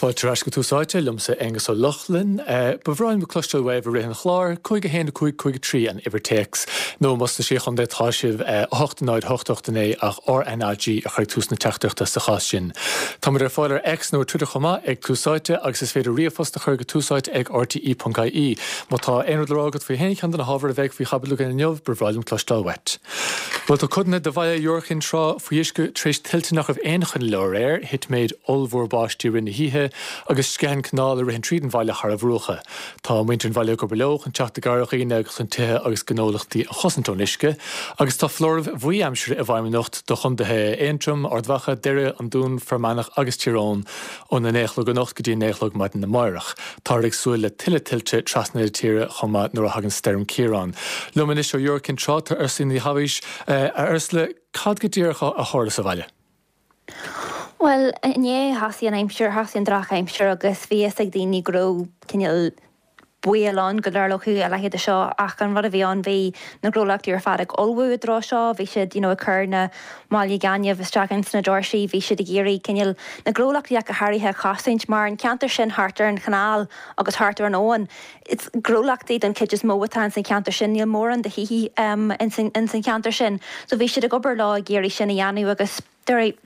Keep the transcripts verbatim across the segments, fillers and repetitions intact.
Fáilte ar ais go Tús Áite liomsa Aengus Ó Lochlainn. Ba bhreá liom cloisteáil uaibh i rith an chláir, cúig a haon a cúig cúig a trí an uimhir téacs, nó más sna Sé Chontae atá sibh a hocht náid hocht hocht a naoi ach RnaG a chur ag tús na teachtaireachta sa chás sin. Táimid ar fáil ar X nó Twitter chomh maith ag Tús Áite agus is féidir ríomhphost a chur go túsáite ag rte.ie. Má tá aon rud le rá agat faoi haon cheann de na hábhair a bheidh faoi chaibidil againn inniu, ba bhreá liom cloisteáil uait. Bhuel tá codanna de bhaile Iúr Chinn Trá faoi uisce tar éis tuilte nach raibh aon choinne leo aréir, thit méid ollmhór báistí i rith na hoíche agus sceith an canáil a ritheann tríd an bhaile thar a bhruacha. Tá muintir an bhaile ag obair leo chun teacht i gcabhair ar dhaoine agus chun tithe agus gnólachtaí a chosaint ón uisce, agus tá foláireamh bhuí aimsire i bhfeidhm anocht do chontaetha Aontroim, Ard Mhacha, Doire, an Dún, Fear Manach agus Tír Eoghain óna naoi a chlog anocht go dtí naoi a chlog maidin amárach. Táthar ag súil le tuilleadh tuilte trasna na tíre chomh maith nuair a thagann Stoirm Ciarán. Liom anois ó Iúr Cinn Trá tá Ursula Ní Thabhais a Ursula, cad go díreach a tharla sa bhaile? Well, inné thosaigh an aimsir thosaigh an drochaimsir agus bhí fhios ag daoine go raibh cineál baol ann go dtarlódh a leithéid seo ach an rud a bhí ann bhí na gnólachtaí ar fad ag ullmhú i dtreo seo, bhí siad you know, ag cur na málaí gainimh isteach ins na doirsí, bhí siad ag iarraidh cineál na gnólachtaí ach go háirithe a chosaint mar an ceantar sin thart ar an chanáil agus thart ar an abhainn. It's gnólachtaí den chuid is mó atá ins an cheantar sin, níl mórán de thithe um, ins an cheantar sin. So bhí siad ag obair lá ag iarraidh sin a dhéanamh agus dúirt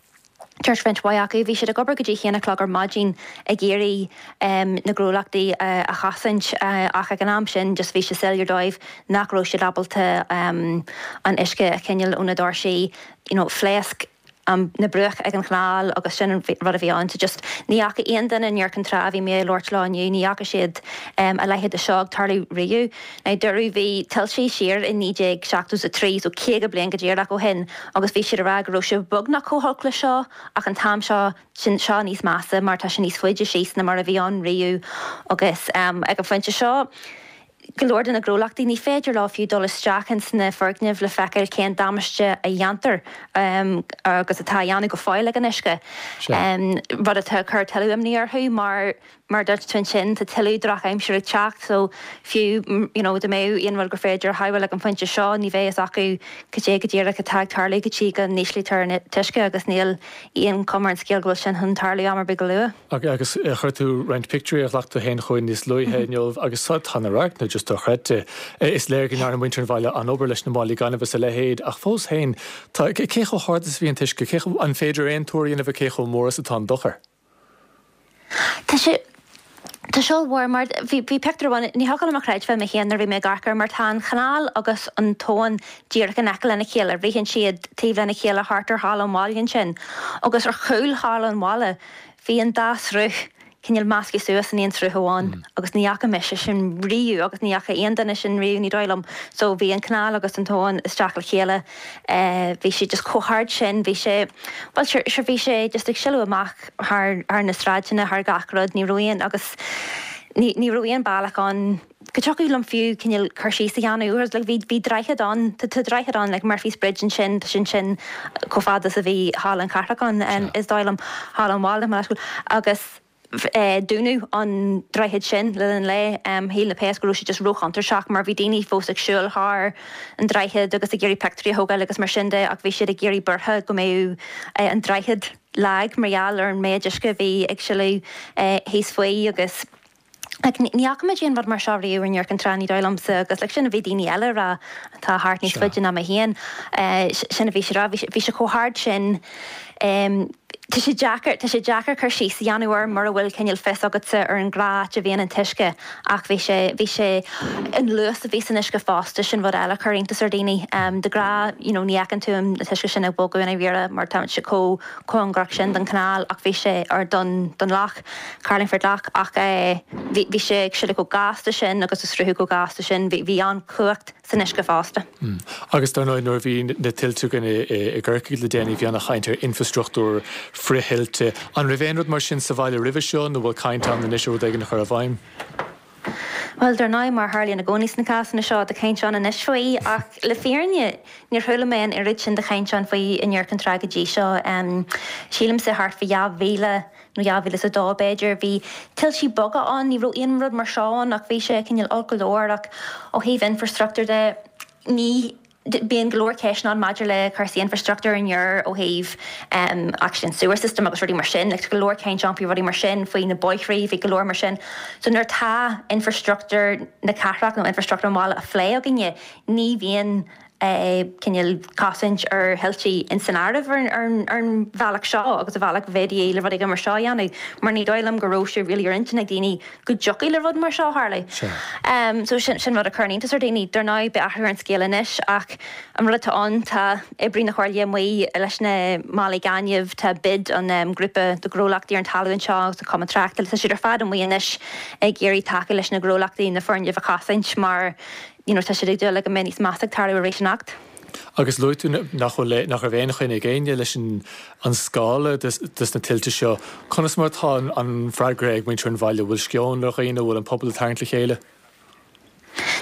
Dúirt roinnt mhaith acu, bhí siad ag obair go dtí haon a chlog ar maidin ag iarraidh um, na gnólachtaí uh, a chosaint uh, ach ag an am sin just bhí sé soiléir dóibh nach raibh siad ábalta um, an uisce a choinneáil ó na doirsí you know, phléasc um, na bruach ag an chanáil agus sin an rud a bhí ann just ní fhaca aon duine in Iúr Cinn Trá bhí mé ag labhairt leo inniu ní fhaca siad um, a leithéid de seo ag tarlú riamh. Na dúradh bhí tuilte siar in naoi déag seachtó a trí so caoga bliain go díreach ó shin agus bhí siad ag rá go raibh sé beagnach chomh holc le seo ach an t-am seo sin seo níos measa mar tá sé níos faide síos ná mar a bhí ann riamh agus um, ag an phointe seo go leor de na gnólachtaí ní féidir leo fiú dul isteach ins na foirgnimh le feiceáil cén damáiste a dhéantar um, agus atá á dhéanamh go fóill ag an uisce. Um, rud atá ag cur tuilleadh imní orthu mar mar dúirt tú ansin tá tuilleadh drochaimsir ag teacht so fiú you know, dá mbeadh aon rud gur féidir a shábháil ag an phointe seo ní bheidh fhios acu cad é go díreach atá ag tarlú go dtí go n-íslítear an t-uisce agus níl aon chuma ar an scéal go bhfuil sin chun tarlú am ar bith go luath. Agus chuir tú roinnt pictiúirí a ghlac tú féin chugainn níos luaithe inniu agus tá na radharcanna just dochreidte. Is léir go ndearna muintir an bhaile an obair leis na málaí gainimh is a leithéid ach fós féin cé chomh hard is a bhí an t-uisce cé an féidir aon tuar a dhéanamh cé chomh mór is atá an dochar. Tá sé Tá sé mór mar bhí pictiúr amháin ní thiocfadh liom a chreidbheáil mé féin nuair a bhí mé ag amharc air mar tá an chanáil agus an t-abhainn díreach in aice lena chéile, ritheann siad taobh lena chéile thart ar halla an bhaile ansin. Agus ar chúl halla an bhaile bhí an dá sruth cineál measctha suas in aon sruth amháin agus ní fhaca mise sin riamh agus ní fhaca aon duine sin riamh ní dóigh liom. So bhí an canáil agus an t-abhainn isteach le chéile bhí sé just chomh hard sin, bhí sé well sure sure bhí sé just ag sileadh amach thar thar na sráideanna thar gach rud ní raibh aon agus ní ní raibh aon bealach ann go dtiocfadh liom fiú cineál cur síos a dhéanamh whereas like bhí bhí droichead ann tá tá droichead ann like Murphy's Bridge ansin tá sin sin chomh fada is a bhí Halla an Chathrach ann is dóigh liom Halla an Bhaile mar agus dúnadh an droichead sin le linn lae. Shíl na péas go raibh sé just róchontúirteach mar bhí daoine fós ag siúl thar an droichead agus ag iarraidh pictiúirí a thógáil agus mar sin de ach bhí siad ag iarraidh buartha go mbeadh an droichead lag mar gheall ar an méid uisce a bhí ag sileadh thíos faoi agus like ní fhaca muid aon rud mar seo riamh in Iúr Cinn Trá ní dóigh liomsa agus like sin a bhí daoine eile ag rá atá thart níos faide ná mé féin sin a bhí siad ag rá bhí sé chomh hard sin Tá sé deacair, tá sé deacair cur síos a dhéanamh air mura bhfuil cineál fios agatsa ar an gnáth áit a bhíonn an t-uisce ach bhí sé, bhí sé, an luas a bhí san uisce fosta, sin rud eile a chuir iontas ar dhaoine. De ghnáth, you know, ní fheiceann tú an t-uisce sin ag bogadh i ndáiríre mar tá sé chomh cóngarach sin don chanáil ach bhí sé, or don, don loch, Carlingford Lough ach eh bhí, bhí sé ag sileadh chomh gasta sin agus ag sruthú chomh gasta sin, bhí, bhí an-chumhacht san uisce fosta. Agus dar ndóigh nuair a bhí na tuilte againn i gCorcaigh le déanaí bhí ana-chaint ar infrastruchtúr frith-thuilte. An raibh aon rud mar sin sa bhaile roimhe seo nó bhfuil caint ann anois ar rud éigin a chur i bhfeidhm? Bhuel, dar ndóigh, mar a tharlaíonn i gcónaí sna cásanna seo, tá caint ann anois faoi, ach le fírinne, níor chuala mé an oiread sin de chaint ann faoi in Iúr Cinn Trá go dtí seo. Sílimse thart faoi dhá mhíle nó dhá mhíle is a dó b'fhéidir, bhí tuiltí beaga ann, ní raibh aon rud mar seo ann ach bhí sé cineál olc go leor ach ó thaobh infrastruchtúr de, ní Bíonn go leor ceisteanna ann maidir le cúrsaí infrastruchtúir in Iorras ó thaobh um, actually an sewer system agus rudaí mar sin, like, go leor caint ann faoi rudaí mar sin, faoi na bóithre, bhí go leor mar sin. So nuair tá infrastruchtúr na cathrach nó infrastruchtúr an bhaile á phlé againne, ní bhíonn cineál cosaint ar thuilte in san áireamh ar ar an bhealach seo agus a bhealach bhéadaí le rudaí mar seo a dhéanamh, mar ní dóigh liom go raibh sé really ar intinn ag daoine go dtiocfaidh le rud mar seo tharlú. Um, so sin sin rud a chuir iontas ar daoine dar ndóigh beidh athrú ar an scéal anois ach an rud atá ann tá oibrí na Comhairle amuigh leis na málaí gainimh, tá bid an um, grúpa de ghnólachtaí ar an talamh anseo agus an cumann tráchtála, tá siad ar fad amuigh anois ag iarraidh tacú leis na gnólachtaí na foirgnimh a chosaint mar you know, tá siad ag dúil le go mbeidh níos measa ag tarlú arís anocht. Agus luaigh tú nach bhfuil nach raibh aon choinne ag éinne leis an an scála des, des na tuilte seo. Conas mar atá an, an freagra ag muintir an bhaile, bhfuil sceon ar dhaoine, bhfuil an pobal ag tarraingt le chéile?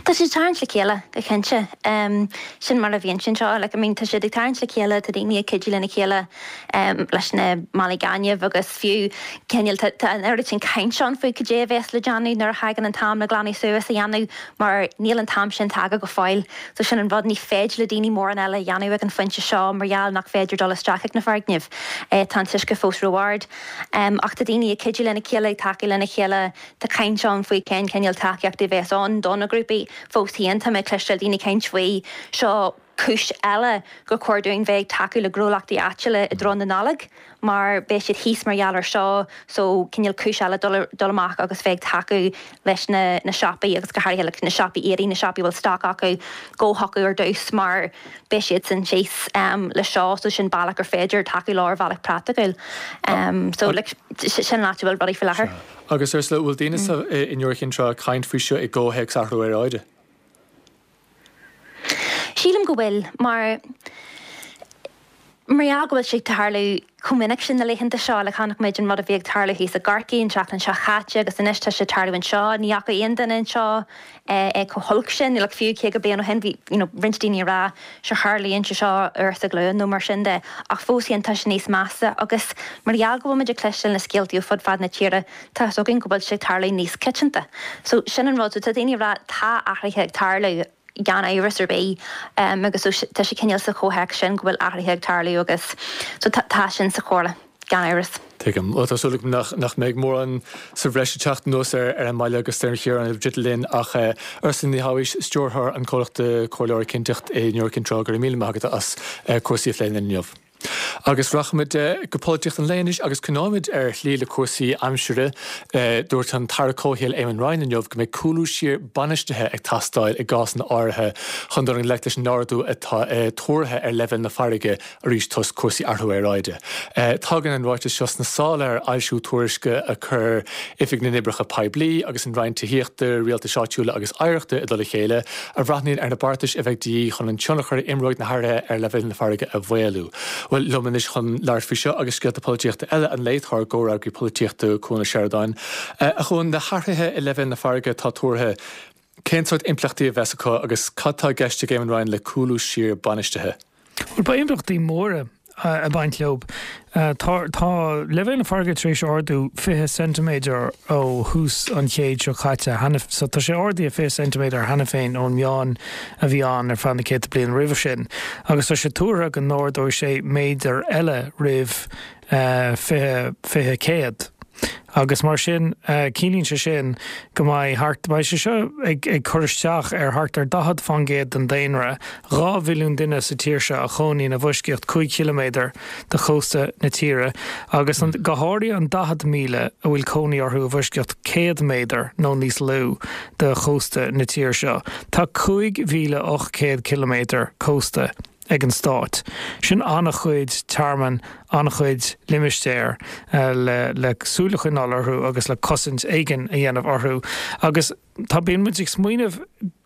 Tá siad ag tarraingt le chéile go cinnte. Um, sin mar a bhíonn sin seo, like, I mean, tá siad ag tarraingt le chéile, tá daoine ag cuidiú lena chéile um, leis na málaí gainimh agus fiú cineál tá tá an oiread sin caint ann faoi cad é a bheas le déanamh nuair a thagann an t-am le glanadh suas a dhéanamh mar níl an t-am sin tagtha go fóill. So sin an rud ní féidir le daoine mórán eile a dhéanamh ag an phointe seo mar gheall nach féidir dul isteach ag na foirgnimh. Eh, tá an t-uisce fós ró-ard. Um, ach tá daoine ag cuidiú lena chéile ag tacú lena chéile tá caint ann faoi cén cineál tacaíochta a bheas ann do na grúpaí fós féin tá mé ag cloisteáil daoine ag caint faoi seo cúis eile gur chóir dúinn bheith ag tacú le gnólachtaí áitiúla i dtreo na Nollag mar beidh siad thíos mar gheall ar seo so cineál cúis eile dul dul amach agus bheith ag tacú leis na na siopaí agus go háirithe le na siopaí éadaí na siopaí bhfuil stoc acu go chucu ar dtús mar beidh siad sin síos um, le seo so sin bealach gur féidir tacú leo ar bhealach praiticiúil. Um, so like, sin an áit a bhfuil rudaí faoi láthair. Agus Ursula, bhfuil daoine sa in Iúr Chinn Trá ag caint faoi seo i gcomhthéacs athrú aeráide? Sílim go bhfuil mar mar gheall go bhfuil sé ag tarlú chomh minic sin na laethanta seo le chonaic muid an rud a bhí ag tarlú thíos i gCorcaigh an tseachtain seo chaite agus anois tá sé ag tarlú anseo ní fhaca aon duine anseo é chomh holc sin like fiú caoga bliain ó shin bhí you know, roinnt daoine ag rá seo tharlaíonn sé seo uair sa ghlúin nó mar sin de ach fós féin tá sé níos measa agus mar gheall go bhfuil muid ag cloisteáil na scéaltaí ó fud fad na tíre tá a fhios againn go bhfuil sé ag tarlú níos coitianta. So sin an rud so tá daoine ag rá tá athruithe ag tarlú gan amhras ar bith um, agus so tá sé cineál sa chomhthéacs sin go bhfuil athruithe ag tarlú agus so tá tá sin sa chomhairle gan amhras. Tuigim ó tá súil agam nach nach mbeidh mórán sa bhreis ag teacht anuas ar ar an mbaile agus ar an cheantar an bhrid linn ach uh, Ursula Ní Thabhais stiúrthóir an chomhlachta comhairleora Cinnteacht i Iúr Cinn Trá go raibh míle maith agat as uh, cúrsaí a phlé inniu. Agus rachaimid go polaitíocht an lae anois agus coinneoimid ar shlí le cúrsaí aimsire dúirt an tAire Comhshaoil Eamon Ryan inniu go mbeidh cúlú siar bainistithe ag teastáil i gcásanna áirithe chun dul i ngleic leis an ardú atá tuartha ar leibhéal na farraige arís toisc cúrsaí athrú aeráide. Tagann an ráiteas seo sna sála ar fhoilsiú tuairisce a chuir Oifig na nOibreacha Poiblí agus an Roinn Tithíochta, Rialtais Áitiúla agus Oidhreachta i dtoll a chéile a bhreathnaíonn ar na beartais a bheidh de dhíth chun an tionchar a imreoidh na hathruithe ar leibhéal na farraige a mhaolú. Well liom anois chun labhairt faoi seo agus scéalta polaitíochta eile an lae tá ár gcomhfhreagraí polaitíochta Cuan Ó Seireadáin. A Chuain na hathruithe i leibhéal na farraige atá tuartha, cén sórt impleachtaí a bheas acu agus cad tá i gceist ag Eamon Ryan le cúlú siar bainistithe? Well beidh impleachtaí móra ag baint leo. Tá tá leibhéal na farraige tar éis ardú fiche ceintiméadar ó thús an chéid seo caite cheana so tá sé ardaithe fiche ceintiméadar cheana féin ón meán a bhí ann ar feadh na céadta bliain roimhe sin, agus tá sé tuartha go n-ardóidh sé méadar eile roimh fiche fiche céad. Agus mar sin ciallaíonn sé sin go mbeidh thart beidh sé seo ag ag cur isteach ar thart ar daichead faoin gcéad den daonra, dhá mhilliún duine sa tír seo a chónaíonn i bhfoisceacht cúig chiliméadar de chósta na tíre, agus an, go háirithe an daichead míle a bhfuil cónaí orthu i bhfoisceacht céad méadar nó níos lú de chósta na tíre seo. Tá cúig mhíle ocht gcéad ciliméadar cósta ag an stát. Sin an-chuid tearmann, an-chuid limistéar le le súil a choinneáil orthu agus le cosaint éigin a dhéanamh orthu. Agus tá bíonn muid ag smaoineamh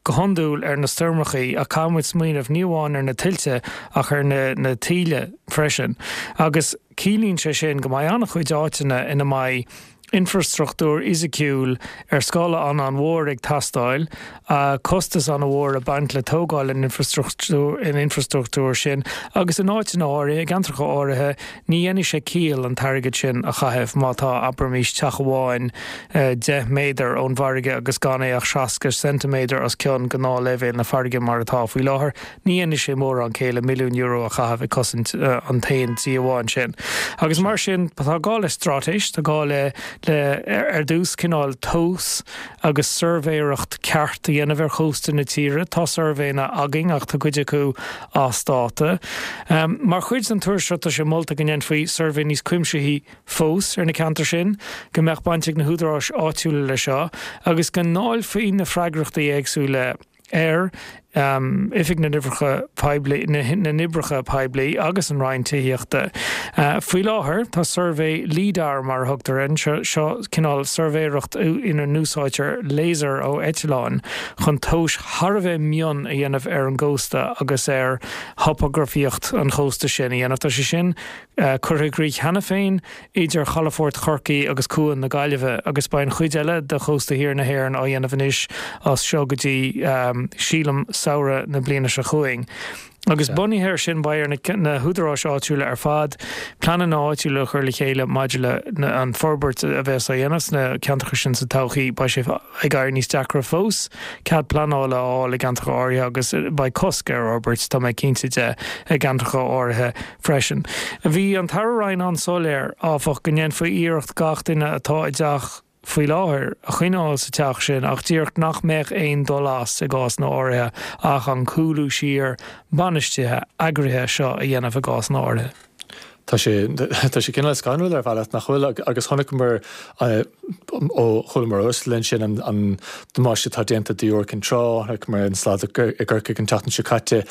go hiondúil ar na stoirmeacha ach caithfidh muid smaoineamh ní amháin ar na tuilte ach ar na na taoille freisin. Agus ciallaíonn sé sin go mbeidh an-chuid áiteanna ina mbeidh Infrastruchtúr fhisiciúil ar scála an-an-mhór ag teastáil, costas an-mhór ag baint le tógáil an infrastruchtúir sin agus in áiteanna áirithe, i gceantracha áirithe, ní dhéanfaidh sé ciall an t-airgead sin a chaitheamh má tá, abraimis, teach amháin deich méadar ón bhfarraige agus gan é ach seasca ceintiméadar os cionn gnáthleibhéal na farraige mar atá faoi láthair. Ní dhéanfaidh sé mórán céille milliún euro a chaitheamh ag cosaint an t-aon tí amháin sin. Agus mar sin, tá gá le straitéis, tá gá le le ar dtús cineál tomhas agus suirbhéireacht ceart a dhéanamh ar chósta na tíre. Tá suirbhéanna againn ach tá cuid acu as dáta. Mar chuid den tuairisc seo tá sé molta go ndéanfaí suirbhé níos cuimsithí fós ar na ceantair sin, go mbeadh baint ag na húdaráis áitiúla leis seo agus go ndáilfí na freagrachtaí éagsúla ar Oifig na nOibreacha Poiblí, na nOibreacha Poiblí agus an Roinn Tithíochta. Faoi láthair, tá suirbhé LIDAR mar a thugtar air, seo cineál suirbhéireacht ina n-úsáidtear laser ó eitleáin chun tomhais thar a bheith mion a dhéanamh ar an gcósta agus ar thopagrafaíocht an chósta sin a dhéanamh. Tá sé sin curtha i gcrích cheana féin idir Chalafort Chorcaí agus Cuan na Gaillimhe agus beidh an chuid eile de chósta thiar na hÉireann á dhéanamh anois as seo go dtí, sílim, samhradh na bliana seo chugainn. Agus bunaithe air sin beidh ar na húdaráis áitiúla ar fad pleananna áitiúla a chur le chéile maidir le an forbairt a bheas á dhéanamh sna ceantracha sin sa todhchaí. Beidh sé ag éirí níos deacra fós cead pleanála a fháil i gceantracha áirithe agus beidh cosc ar fhorbairt, tá mé cinnte de, i gceantracha áirithe freisin. Bhí an tAire Ryan an-soiléir, áfach, go ndéanfaí iarracht gach duine atá i dteach faoi láthair a choinneáil sa teach sin ach díreach nach mbeadh aon dul as i gcásanna áirithe ach an cúlú siar bainistithe eagraithe seo a dhéanamh i gcásanna áirithe. Tá sé tá sé cineál scanrúil ar bhealach nach bhfuil agus chonaiceamar ó chualamar ó linn sin an an damáiste atá déanta d'Iúr Cinn Trá, chonaiceamar an slad i gCorcaigh an tseachtain seo caite.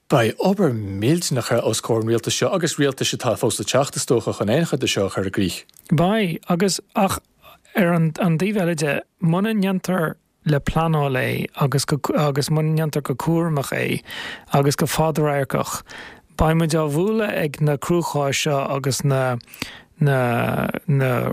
Beidh obair mhillteanach os comhair an rialtais seo agus rialtais atá fós le teacht, is dócha, chun aon chuid de seo a chur i gcrích. Beidh, agus, ach ar an taobh eile de, muna ndéantar le pleanáil é agus go, agus muna ndéantar go cúramach é agus go fadradharcach, beidh muid á bhualadh ag na cruacháis seo agus na, na na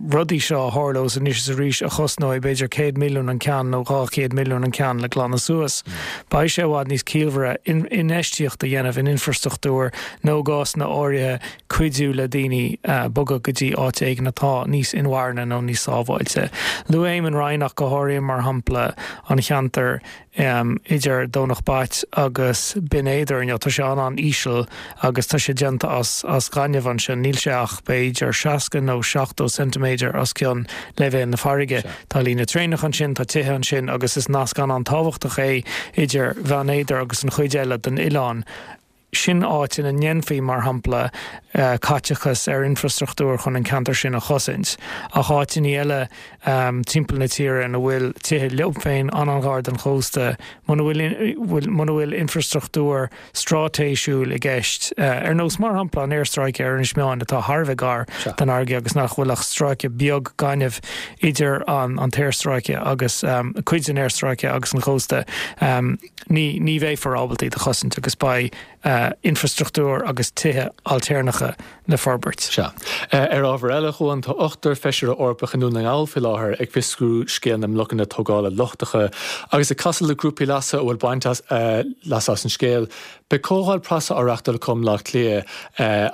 rudaí seo a tharlós anois is arís a chosnóidh b'fhéidir céad milliún an ceann nó dhá chéad milliún an ceann le glanadh suas. Beidh sé i bhfad níos ciallmhaire infheistíocht a dhéanamh in infrastruchtúr nó i gcásanna áirithe cuidiú le daoine bogadh go dtí áit éigin atá níos inmharthana nó níos sábháilte. Luaigh Eamon Ryan ach go háirithe mar shampla an cheantar idir Domhnach Bait agus Binn Éadair inniu. Tá sé an-an-íseal agus tá sé déanta as as gaineamh ansin. Níl sé ach b'fhéidir seasca nó seachtó ceintiméadar os cionn leibhéal na farraige. Tá líne traenach ansin, tá tithe ansin agus is nasc an-an-tábhachtach é idir Bheann Éadair agus an chuid eile den oileán. Sin áit ina ndéanfaí, mar shampla, caiteachas ar infrastruchtúr chun an ceantar sin a chosaint. Ach áiteanna eile timpeall na tíre ina bhfuil tithe leo féin an-an-ghar don chósta, muna bhfuil muna bhfuil infrastruchtúr straitéisiúil i gceist, ar nós, mar shampla, an aerstráice ar Inis Meáin atá thar a bheith gar don fharraige agus nach bhfuil ach stráice beag gainimh idir an an t-aerstráice agus cuid den aerstráice agus an chósta, ní ní bheifear ábalta iad a chosaint agus beidh infrastruchtúr agus tithe ailtéarnacha le forbairt. Sea. Ar ábhar eile, a Chuain, tá ochtar feisire Eorpach i nDún na nGall faoi láthair ag fiosrú scéal na mblocanna tógála lochtacha agus ag casadh le grúpaí leasa a bhfuil baint leasa as an scéal. Beidh comhdháil preasa á reachtáil acu i mBleá Cliath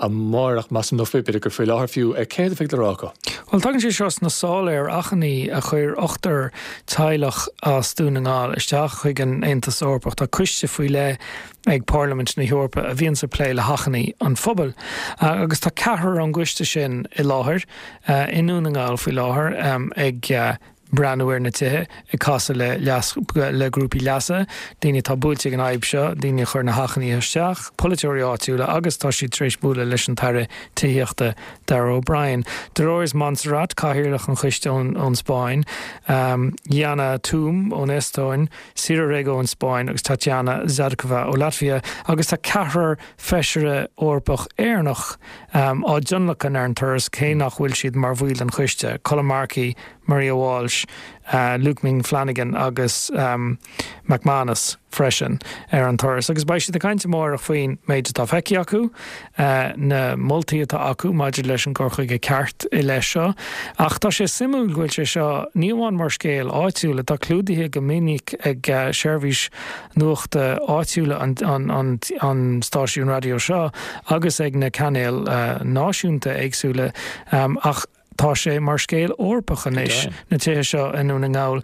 amárach, measaim, nó b'fhéidir gur faoi láthair fiú. Céard a bheidh le rá acu? Bhuel, tagann sé seo sna sála ar achainí a chuir ochtar teaghlach as Dún na nGall isteach chuig an Aontas Eorpach. Tá coiste faoi leith ag Parlaimint na hEorpa a bhíonns ag plé le hachainí an phobail. Agus tá ceathrar ón gcoiste sin i láthair i nDún na nGall faoi láthair ag breathnú ar na tithe, ag casadh le leas, le grúpaí leasa, daoine atá buailte ag an fhadhb seo, daoine a chuir na hachainí isteach, polaiteoirí áitiúla agus tá siad tar éis bualadh leis an tAire Tithíochta Darragh O'Brien. Dolores Montserrat, Cathaoirleach an choiste ón Spáinn, Yana Toom ón Eastóin, Sira Rego ón Spáinn agus Tatjana Zhadkova ó Laitvia agus tá ceathrar feisire Eorpach Éireannach á dtionlacan ar an turas cé nach bhfuil siad mar bhaill den choiste, Colm Markey, Maria Walsh, Luke Ming Flanagan agus McManus freisin ar an turas. Agus beidh siad ag caint amárach faoin méid atá feicthe acu, na moltaí atá acu maidir leis an gcur chuige ceart i leith seo. Ach tá sé suimiúil go bhfuil sé seo ní amháin mar scéal áitiúil atá clúdaithe go minic ag seirbhís nuachta áitiúla an, an, an, an stáisiún raidió seo agus ag na cainéil náisiúnta éagsúla ach tá sé mar scéal Eorpach anois na tithe seo i nDún na nGall.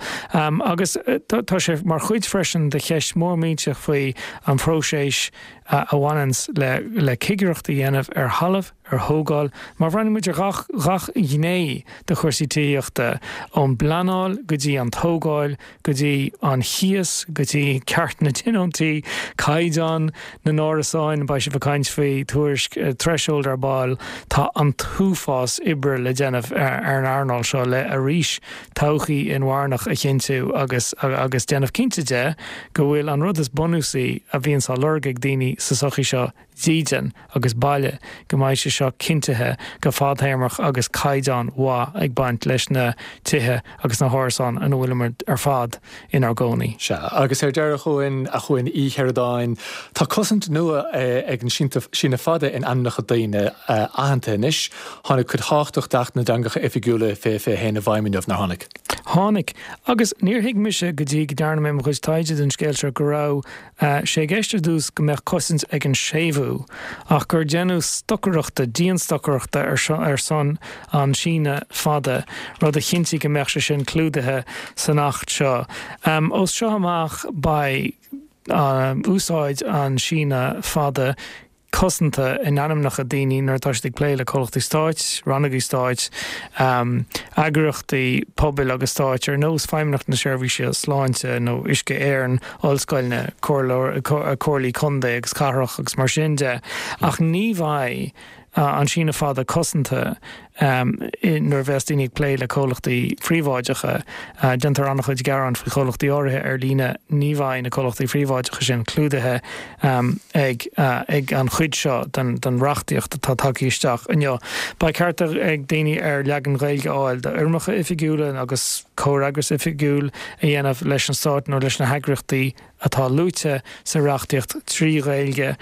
Agus tá sé mar chuid freisin de cheist mór millteach faoi an phróiseas a bhaineanns le le cigireacht a dhéanamh ar thalamh, ar thógáil. Má bhreathnaíonn muid ar gach gach gné de chúrsaí tithíochta, ón bpleanáil go dtí an tógáil, go dtí an chíos, go dtí ceart na dtionóntaí, caighdeán na n-árasáin, beidh sibh ag caint faoi tuairisc Threshold ar ball, tá an t-uafás oibre le déanamh ar an earnáil seo le arís todhchaí inmharthanach a chinntiú agus agus déanamh cinnte de go bhfuil an rud is bunúsaí a bhíonns á lorg ag daoine sa tsochaí seo, dídean agus baile, go mbeidh sé seo cinntithe go fadtéarmach agus caighdeán mhaith ag baint leis na tithe agus na hárasáin ina bhfuilimid ar fad inár gcónaí. Sea, agus ar deireadh chugainn, a Chuain Uí Sheireadáin, tá cosaint nua ag an síneadh fada in ainmneacha daoine aitheanta anois. Tháinig cuid thábhachtach d'Acht na dTeangacha Oifigiúla fiche fiche a haon i bhfeidhm inniu, nár tháinig? Tháinig. Agus níor thuig mise go dtí go ndearna mé mo chuid taighde don scéal seo go raibh sé i gceist ar dtús go mbeadh cosaint ag an séimhiú ach gur deineadh stocaireachta, dianstocaireachta ar son an síneadh fada, rud a chinntigh go mbeadh sé sin clúdaithe san Acht seo. Ó seo amach beidh úsáid an síneadh fada cosanta in ainmneacha daoine nuair atá siad ag plé le comhlachtaí stáit, rannógaí stáit, eagraíochtaí pobail agus stáit ar nós Feidhmeannacht na Seirbhíse Sláinte nó Uisce Éireann, ollscoileanna, comhairlí contae agus cathrach agus mar sin de. Ach ní bheidh an síneadh fada cosanta nuair a bheas daoine ag plé le comhlachtaí phríobháideacha. Déantar an-chuid gearán faoi chomhlachtaí áirithe ar líne, ní bheidh na comhlachtaí phríobháideacha sin clúdaithe ag ag an chuid seo den den reachtaíocht atá tagtha isteach inniu. Beidh ceart ag daoine ar leagan Gaeilge a fháil d'fhoirmeacha oifigiúla agus comhfhreagras oifigiúil a dhéanamh leis an stát nó leis na heagraíochtaí atá luaite sa reachtaíocht trí Ghaeilge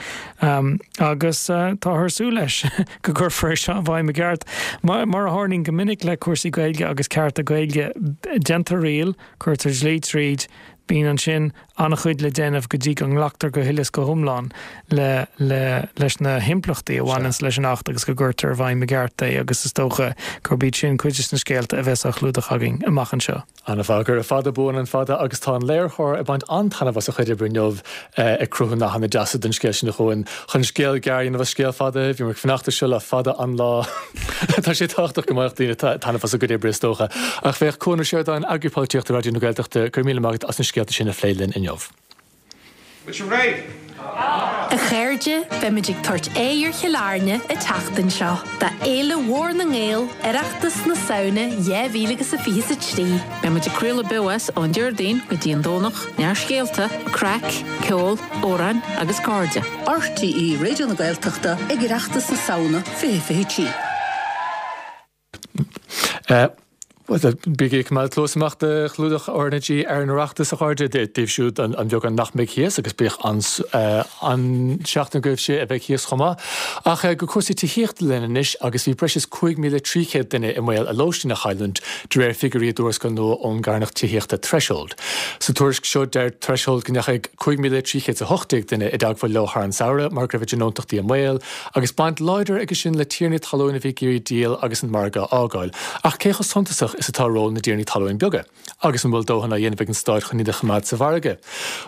agus táthar ag súil leis go gcuirfear é seo i bhfeidhm i gceart. Mar a tharlaíonn go minic le cúrsaí Gaeilge agus cearta Gaeilge, déantar riail, cuirtear dlí tríd, bíonn ansin an-chuid le déanamh go dtí go nglactar go huile is go hiomlán le le leis na himpleachtaí a bhaineanns leis an Acht agus go gcuirtear i bhfeidhm i gceart é agus is dócha gurb iad sin cuid de na scéalta a bheas á chlúdach againn amach anseo. An-mhaith, gura fada buan an fada agus tá an léiritheoir ag baint an-taitneamh as a chuid oibre inniu ag cruthú nathanna deasa don scéal sin a Chuain. Chun scéal gearr a dhéanamh as scéal fada, bhíomar ag fanacht air seo le fada an lá. Tá sé tábhachtach go mbeadh daoine taitneamh as a gcuid oibre is dócha. Ach féach, Cuan Ó Seireadáin, Eagraí Polaitíochta Raidió na Gaeltachta, go raibh míle maith agat as na scéalta sin a phlé linn inniu. Bhfuil sibh réidh? A chairde, beimid ag tabhairt aghaidh ar Chill Airne an tseachtain seo do Fhéile Mhór na nGael, Oireachtas na Samhna dhá mhíle agus a fiche is a trí. Beimid ag craoladh beo as ón Déardaoin go dtí an Domhnach, neart scéalta, craic, ceol, amhráin agus cairde. RTÉ Raidió na Gaeltachta ag Oireachtas na Samhna fiche fiche trí. Bígí ag coimeád cluas amach do chlúdach RnaG ar an Oireachtas, a chairde, daoibh siúd an beagán nach mbeidh thíos agus bíodh an seachtain agaibhse a bheidh thíos chomh maith. Ach go cúrsaí tithíochta linn anois agus bhí breis is cúig mhíle trí chéad duine i mbaol a lóistín a chailliúint de réir figiúirí i dtuarascáil nua ón gcarthanacht tithíochta Threshold. Sa tuairisc seo deir Threshold go ndeachaigh cúig mhíle trí chéad is a hocht déag duine i dteagmháil leo thar an samhradh mar go raibh a dtionóntachtaí i mbaol agus baint láidir aige sin le tiarnaí talún a bhí ag iarraidh díol agus an margadh a fhágáil. Ach cé chomh suntasach is atá ról na dtiarnaí talún beaga? Agus an bhfuil dóthain á dhéanamh ag an Stát chun iad a choimeád sa mhargadh?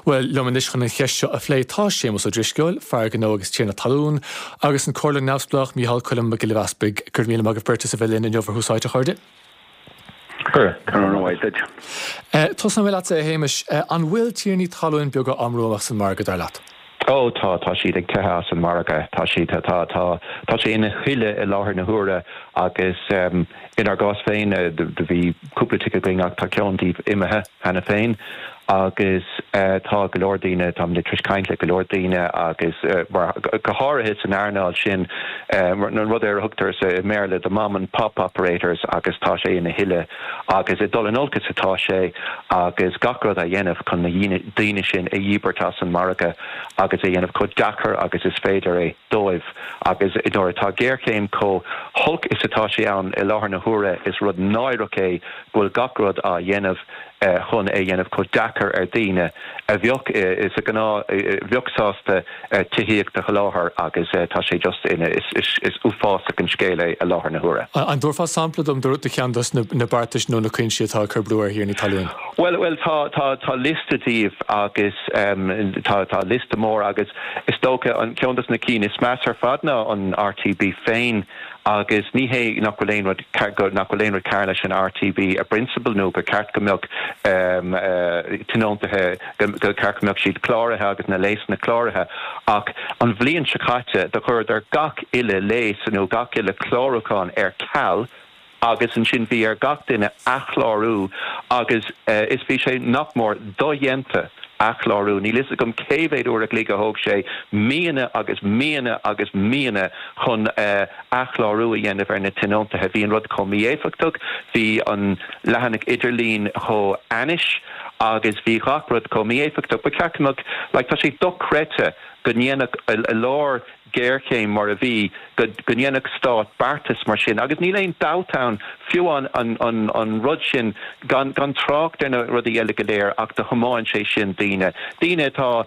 Bhuel, liom anois chun an cheist seo a phlé tá Séamus Ó Drisceoil, fear gnó agus tiarna talún, agus an comhairleoir neamhspleách Micheál Choilm Mac Giolla Easpaig. Go raibh míle maith agaibh beirt as a bheith linn inniu ar Thús Áite, a chairde. Go raibh maith agat. Tosóidh mé leatsa, a Shéamais. An bhfuil tiarnaí talún beaga á mbrú amach as an margadh, dar leat? Ó tá, tá siad ag teitheadh as an margadh. Tá siad, tá, tá, tá sé ina thuile i láthair na huaire agus inár gcás féin do bhí cúpla tigh againn ach tá ceann díobh imithe cheana féin Agus tá go leor daoine, tá mé tar éis caint le go leor daoine agus mar go háirithe san earnáil sin, an rud ar a thugtar sa i mBéarla the mom and pop operators, agus tá sé ina thuile agus ag dul in olcas atá sé agus gach rud á dhéanamh chun na daoine sin a dhíbirt as an margadh agus é dhéanamh chomh deacair agus is féidir é dóibh. Agus nuair atá géarchéim chomh holc is atá sé ann i láthair na huaire, is rud náireach é go bhfuil gach rud á dhéanamh chun é dhéanamh chomh deacair ar daoine a bheadh sa gnáth bheadh sásta tithíocht a sholáthar agus tá sé just ina is is uafásach an scéal é i láthair na huaire. An dtabharfá sampla dom de cheann dos na beartais nó na cúinsí atá ag cur brú ar thiarnaí talún? Well well tá tá tá liosta díobh agus tá tá liosta mór agus is dócha an ceann dos na cinn is measa ar fad ná an R T B féin. Agus ní hé nach bhfuil aon rud nach bhfuil aon rud cearr leis an R T B i bprionsabal nó gur ceart go mbeadh tionóntaithe, go ceart go mbeadh siad cláraithe agus na léasanna cláraithe, ach an bhliain seo caite do chuireadar gach uile léas nó gach uile chlárúchán ar ceal agus ansin bhí ar gach duine athchlárú agus is bhí sé nach mór dodhéanta athchlárú. Níl fhios agam cé mhéad uair a chloig a thóg sé, míonna agus míonna agus míonna chun athchlárú a dhéanamh ar na tionóntaithe. Bhí an rud chomh mí-éifeachtach, bhí an leathanach idirlín chomh ainnis agus bhí gach rud chomh mí-éifeachtach. Ba cheart go mbeadh, like, tá sé dochreidte go ndéanfadh i lár géarchéim mar a bhí go ndéanfadh stát beartas mar sin agus níl aon dabht ann fiú an an an an rud sin, gan gan trácht ar na rudaí eile go léir, ach do thiomáin sé sin daoine daoine atá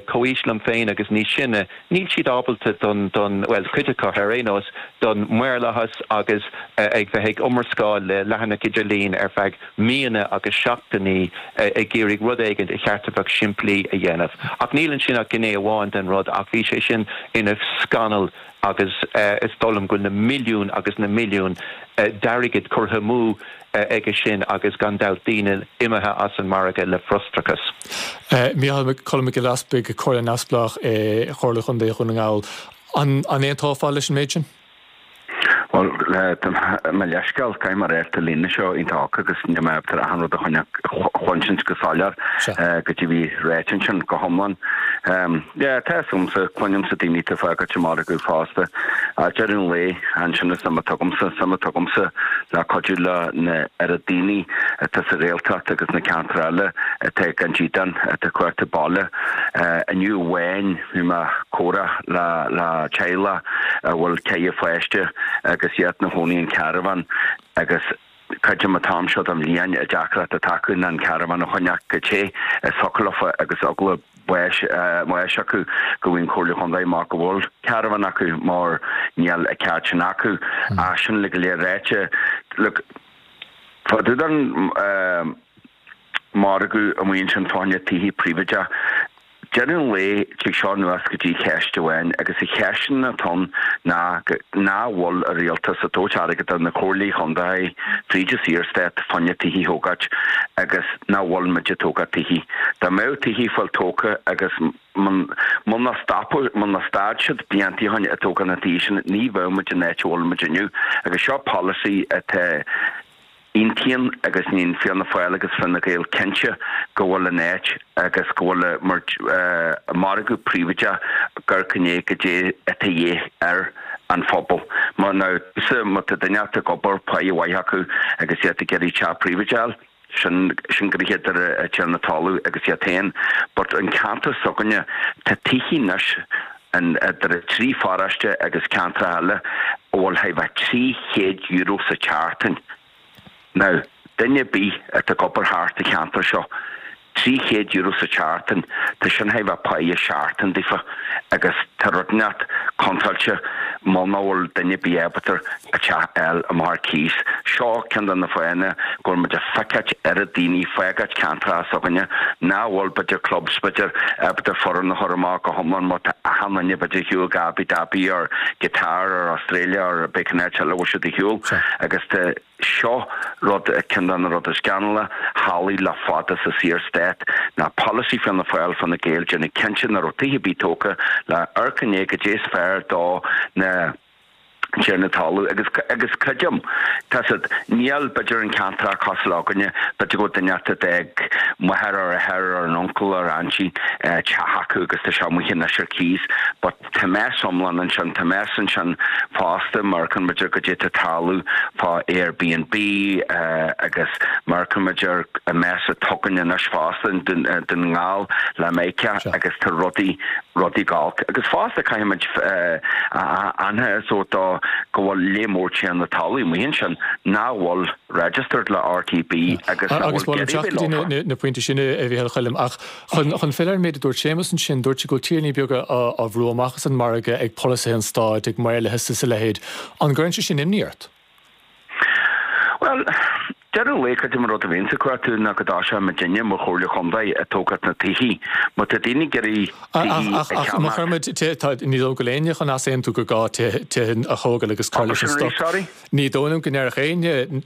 comhaois liom féin agus níos sine, níl siad ábalta don don bhuel, cuid acu ar aon nós, don maorlathas agus ag bheith ag iomrascáil le leathanach idirlín ar feadh míonna agus seachtainí ag iarraidh rud éigin a cheart a bheadh simplí a dhéanamh. Ach níl ansin ach gné amháin den rud, ach bhí sé sin ina scannal agus is dóigh liom go bhfuil na milliúin agus na milliúin d'airgead curtha amú aige sin agus gan dabht daoine imithe as an margadh le frustrachas. Micheál Colm Mac Giolla Easbuig, Comhairleoir Neamhspleách i Chomhairle Chontae Dhún na nGall. An aontófá leis an méid sin? Bhuel, mo leithscéal, caithfidh mé a rá tá líne seo iontach agus níl mé ábalta achan rud a chluinsint go soiléir go dtí bhí ráite ansin go hiomlán. Yeah, tá fhios agamsa, cluinimse daoine atá ag fágáilt an margadh fosta. Deireadh an lae, ansin is suim atá agamsa, suim atá agamsa le cuidiú le na oiread daoine atá sa Ghaeltacht agus na ceantair eile atá gan dídean, atá ag cuartú baile. Inniu amháin bhí mé ag comhrá le le teaghlach a bhfuil ceithre pháiste agus iad ina chónaí in caravan agus creidim an t-am seo den bhliain an deacracht atá acu ná an caravan a choinneáil chomh te is thiocfadh leofa agus eagla báis báis acu go bhfaighidh an Chomhairle Chontae amach go bhfuil caravan acu mar níl an ceart sin acu. Ach sin le go léir ráite, look, fá dtaobh den margadh amuigh ansin fá choinne tithe príobháideach, Deireadh an lae, tig seo anuas go dtí ceist amháin, agus an cheist sin atá ann ná nach bhfuil an rialtas ag tabhairt airgead do na comhairlí chontae fríd an Saorstát fá choinne tithe a thógáilt agus nach bhfuil muid ag tógáil tithe. Dá mbeadh tithe ag fáil tógtha agus muna stopadh, muna stad siad blianta ó shin ag tógáil na tithe sin, ní bheadh muid in áit a bhfuil muid inniu. Agus seo polasaí atá. Aontaím agus níl Fianna Fáil agus Fine Gael cinnte go bhfuil an áit agus go bhfuil mar margadh príobháideach gur gné goidé atá de dhíth ar an phobal. Má now má tá duine ag obair páighe mhaith acu agus iad ag iarraidh teach príobháideach a fháil, sin sin gnoithe idir an tiarna talún agus iad féin. But an ceantar s'againne tá tithe anois in idir an trí pharóiste agus ceantracha eile a bhfuil thar a bheith trí chéad euro sa tseachtain. Now, duine ar bith atá ag obair thart sa cheantar seo, trí chéad euro sa tseachtain, tá sin thar a bheith páighe seachtain daofa agus tá rud inteacht contráilte muna bhfuil duine ar bith ábalta a teach a fháil amach ar cíos. Seo ceann de na fáthanna go bhfuil muid ag feiceáilt oiread daoine ag fágáilt ceantracha s'againne nach bhfuil b'fhéidir clubs b'fhéidir ábalta foireann a chur amach go hiomlán mar tá achan duine b'fhéidir ar shiúl go Abu Dhabi or Qatar or Australia or cibé cén áit eile a bhfuil siad ar shiúl agus tá Seo rud, ceann de na rudaí scannalacha a tharlaigh le fada sa Saorstát ná polasaí Fianna Fáil, Fine Gael, déanamh cinnte nach raibh tithe ar bith tógtha le amharc i ndiaidh goidé is fearr do na tiarna talún agus agus creidim tá siad níl b'fhéidir an ceantar cosúil againne b'fhéidir go duine ag máthair or athair or an uncle or auntie teach acu agus tá sé amuigh anois ar cíos but tá mess iomlán ansin tá mess ansin fosta mar chun b'fhéidir go dté tarlú fá Airbnb agus mar chun b'fhéidir a mess atá againn anois fosta Dún na nGall le Meiceá agus tá rudaí rudaí galk agus fosta caithfimid aithint so tá go bhfuil léith mór tiarna talún amuigh ansin nach bhfuil registered le RTB agus agus bhfuil teacht na pointe sin a Mhíchíl Choilm ach chun chun filleadh ar an méid a dúirt Séamus ansin dúirt sé go bhfuil tiarnaí beaga á bhrú amach as an margadh ag polasaithe an stáit ag maoluithe is a leithéid. An gcuireann sé sin imní ort? Well, deireadh an lae creidim an rud a bhíonn sa cuartú ná go dtá muidinne mar chomhairle chontae ag tógáil na tithí. Má tá daoine ag iarraidh tithí a Ach má cheannach. chuir muid tá ní dóigh go bhfuil éinne chun easaontú gur gá tithe a thógáil agus cur leis an Sorry, stoc. sorry. Ní dóigh liom go ndéarfadh éinne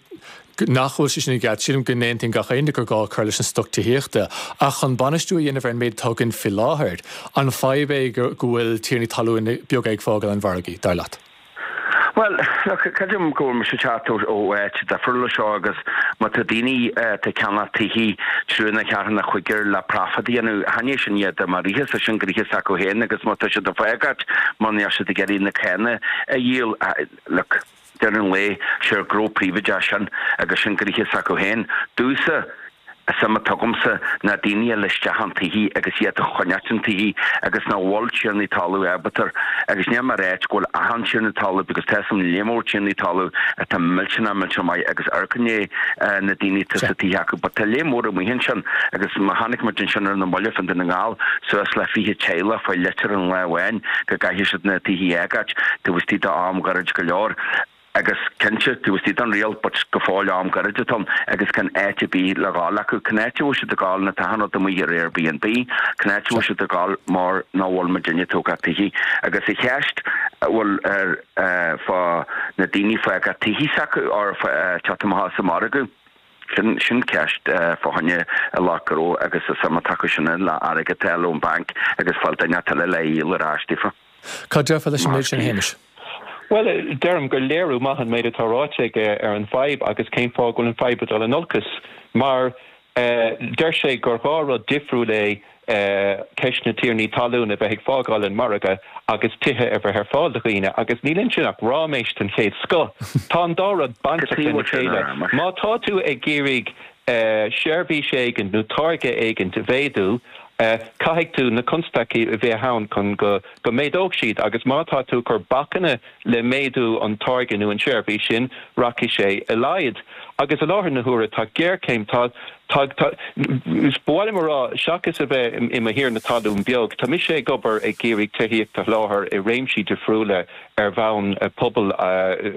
nach bhfuil sé sin i gceart sílim go n-aontaíonn gach éinne gur gá cur leis an stoc tithíochta ach chun bainistiú a dhéanamh ar an méid atá againn faoi láthair. An fadhb é go bhfuil tiarnaí talún beaga ag fágáil an mhargaidh, dar leat. Well, look, creidim go bhfuil mise teacht ó áit difriúil seo agus má tá daoine ag ceannach tithí triúr nó ceathrar nó cúigear le profit a dhéanamh chan é sin iad mar ríthe sin gnoithe s'acu féin agus má tá siad ag fágáil má níl siad ag iarraidh na céanna a dhíol look, deireadh an lae sé gnó príobháideach sin agus sin gnoithe s'acu féin. Domhsa suim atá agamsa ná daoine a isteach an tithí agus iad a choinneáil an tithí agus nach bhfuil tiarnaí talún ábalta agus ní mar áit go bhfuil achan tiarna talún because tá an léith mór tiarnaí talún atá millteanach millteanach maith agus arcanné na daoine tá sa tithe acu, but tá léith mór amuigh ansin agus má tháinig muid ansin ar na mallaibh Dún na nGall suas le fiche teaghlach faoi litir an lá amháin go gcaithfidh siad na tithí a fhágáil taobh istigh d'am gairid go leor. agus cinnte tú istigh an riail but go fóill am gairid atá agus gan áit ar bith le gabháil acu can áit bhfuil siad ag gabháil na tahann amuigh ar Airbnb can áit bhfuil siad ag gabháil mar nach bhfuil muidinne ag tógáil tithí agus a cheist bhfuil ar fá na daoine fágáil tithí s'acu or teacht amach sa margadh. Sin sin ceist fá choinne a lá gnó agus a suim atá acu sin le airgead eile ón banc agus fáil duine eile le dhíol ar ais daofa. Cad déarfá leis an méid sin Shéamais? Well, deirim gur léiriú maith an méid atá ráite aige ar an fadhb agus cén fáth go bhfuil an fadhb ag dul in olcas mar uh, deir sé gur dhá rud difriúil é uh, ceist na tiarnaí talún a bheith ag fágáil an margadh agus tithe a bheith ar fáil do dhaoine agus níl ansin ach ráiméis den chéad scoth. Tá an dá rud bainteach lena chéile. Má tá tú ag iarraidh uh, seirbhís éigin nó táirge éigin a mhéadú, Uh, caithfidh tú na constaicí a bheith ann chun go go méadóidh siad agus má tá tú ag cur bacanna le méadú an táirge nó an seirbhís sin rachaidh sé i laghad. Agus i láthair na huaire tá géarchéim tá tá bhil marrá seachas a bheith i mo thiarna talún beag, Tá mise ag obair ag iarraidh tithíocht a sholáthar i réimsí difriúla ar bhonn pobal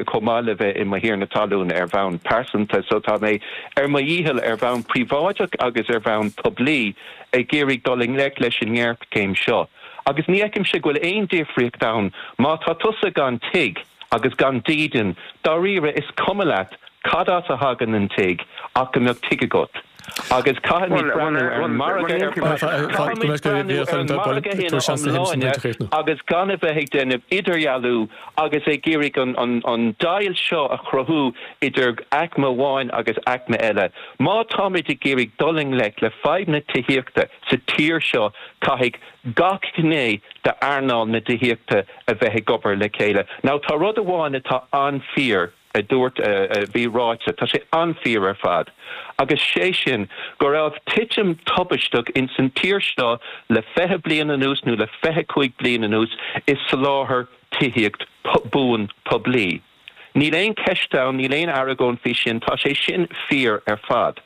chomh maith le bheith i mo thiarna talún ar bhonn pearsanta, so tá mé ar mo dhícheall ar bhonn príobháideach agus ar bhonn poiblí ag iarraidh dul i ngleic leis an ngéarchéim seo. Agus ní fheicimse go bhfuil aon difríocht ann má tá tusa gan tigh agus gan dídean, dáiríre is cuma leat cad as a thagann an tigh ach go mbeadh tigh agat. Agus caithfimid breathnú ar an margadh agus gan a bheith ag déanamh idirdhealú agus ag iarraidh an, an, an deighilt seo a chruthú idir aicme amháin agus aicme eile. Má táimid ag iarraidh dul i ngleic le fadhb na tithíochta sa tír seo caithfidh gach gné d'earnáil na tithíochta a bheith ag obair le chéile. Now tá rud amháin atá an-fhíor a dúirt a bhí ráite, tá sé an-fhíor ar fad. Agus sé sin go raibh titim tubaisteach in san tír seo le fiche bliain anuas nó le fiche cúig bliain anuas i soláthar tithíocht buan poiblí. Níl aon cheist ann, níl aon argóint faoi sin, tá sé sin fíor ar fad.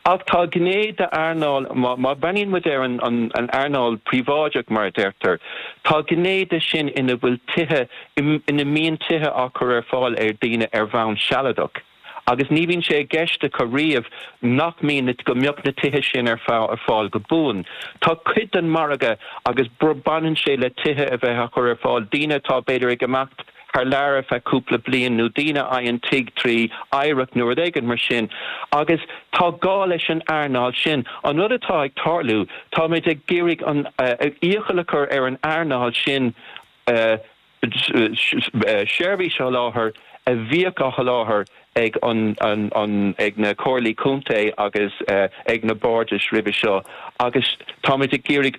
Ach tá gné d'earnáil má bhreathnaíonn muid ar an, an, an earnáil príobháideach mar a deirtear, Tá gné de sin ina bhfuil tithe ina mbíonn tithe á chur ar fáil ar daoine ar bhonn sealadach. Agus ní bhíonn sé i gceist acu riamh nach mbíonn go mbeadh na tithe sin ar fáil go buan. Tá cuid den margadh agus baineann sé le tithe a bheith á chur ar fáil daoine atá b'fhéidir ag imeacht thar lear ar feadh cúpla bliain nó daoine a fhaigheann tigh trí oidhreacht nó rud éigin mar sin. Agus tá gá leis an earnáil sin. An rud atá ag tarlú, táimid ag iarraidh an iachall a chur ar an earnáil sin uh, seirbhís a sholáthar a bhíodh á sholáthar ag an an an ag na comhairlí contae agus ag na bardais roimhe seo agus táimid ag iarraidh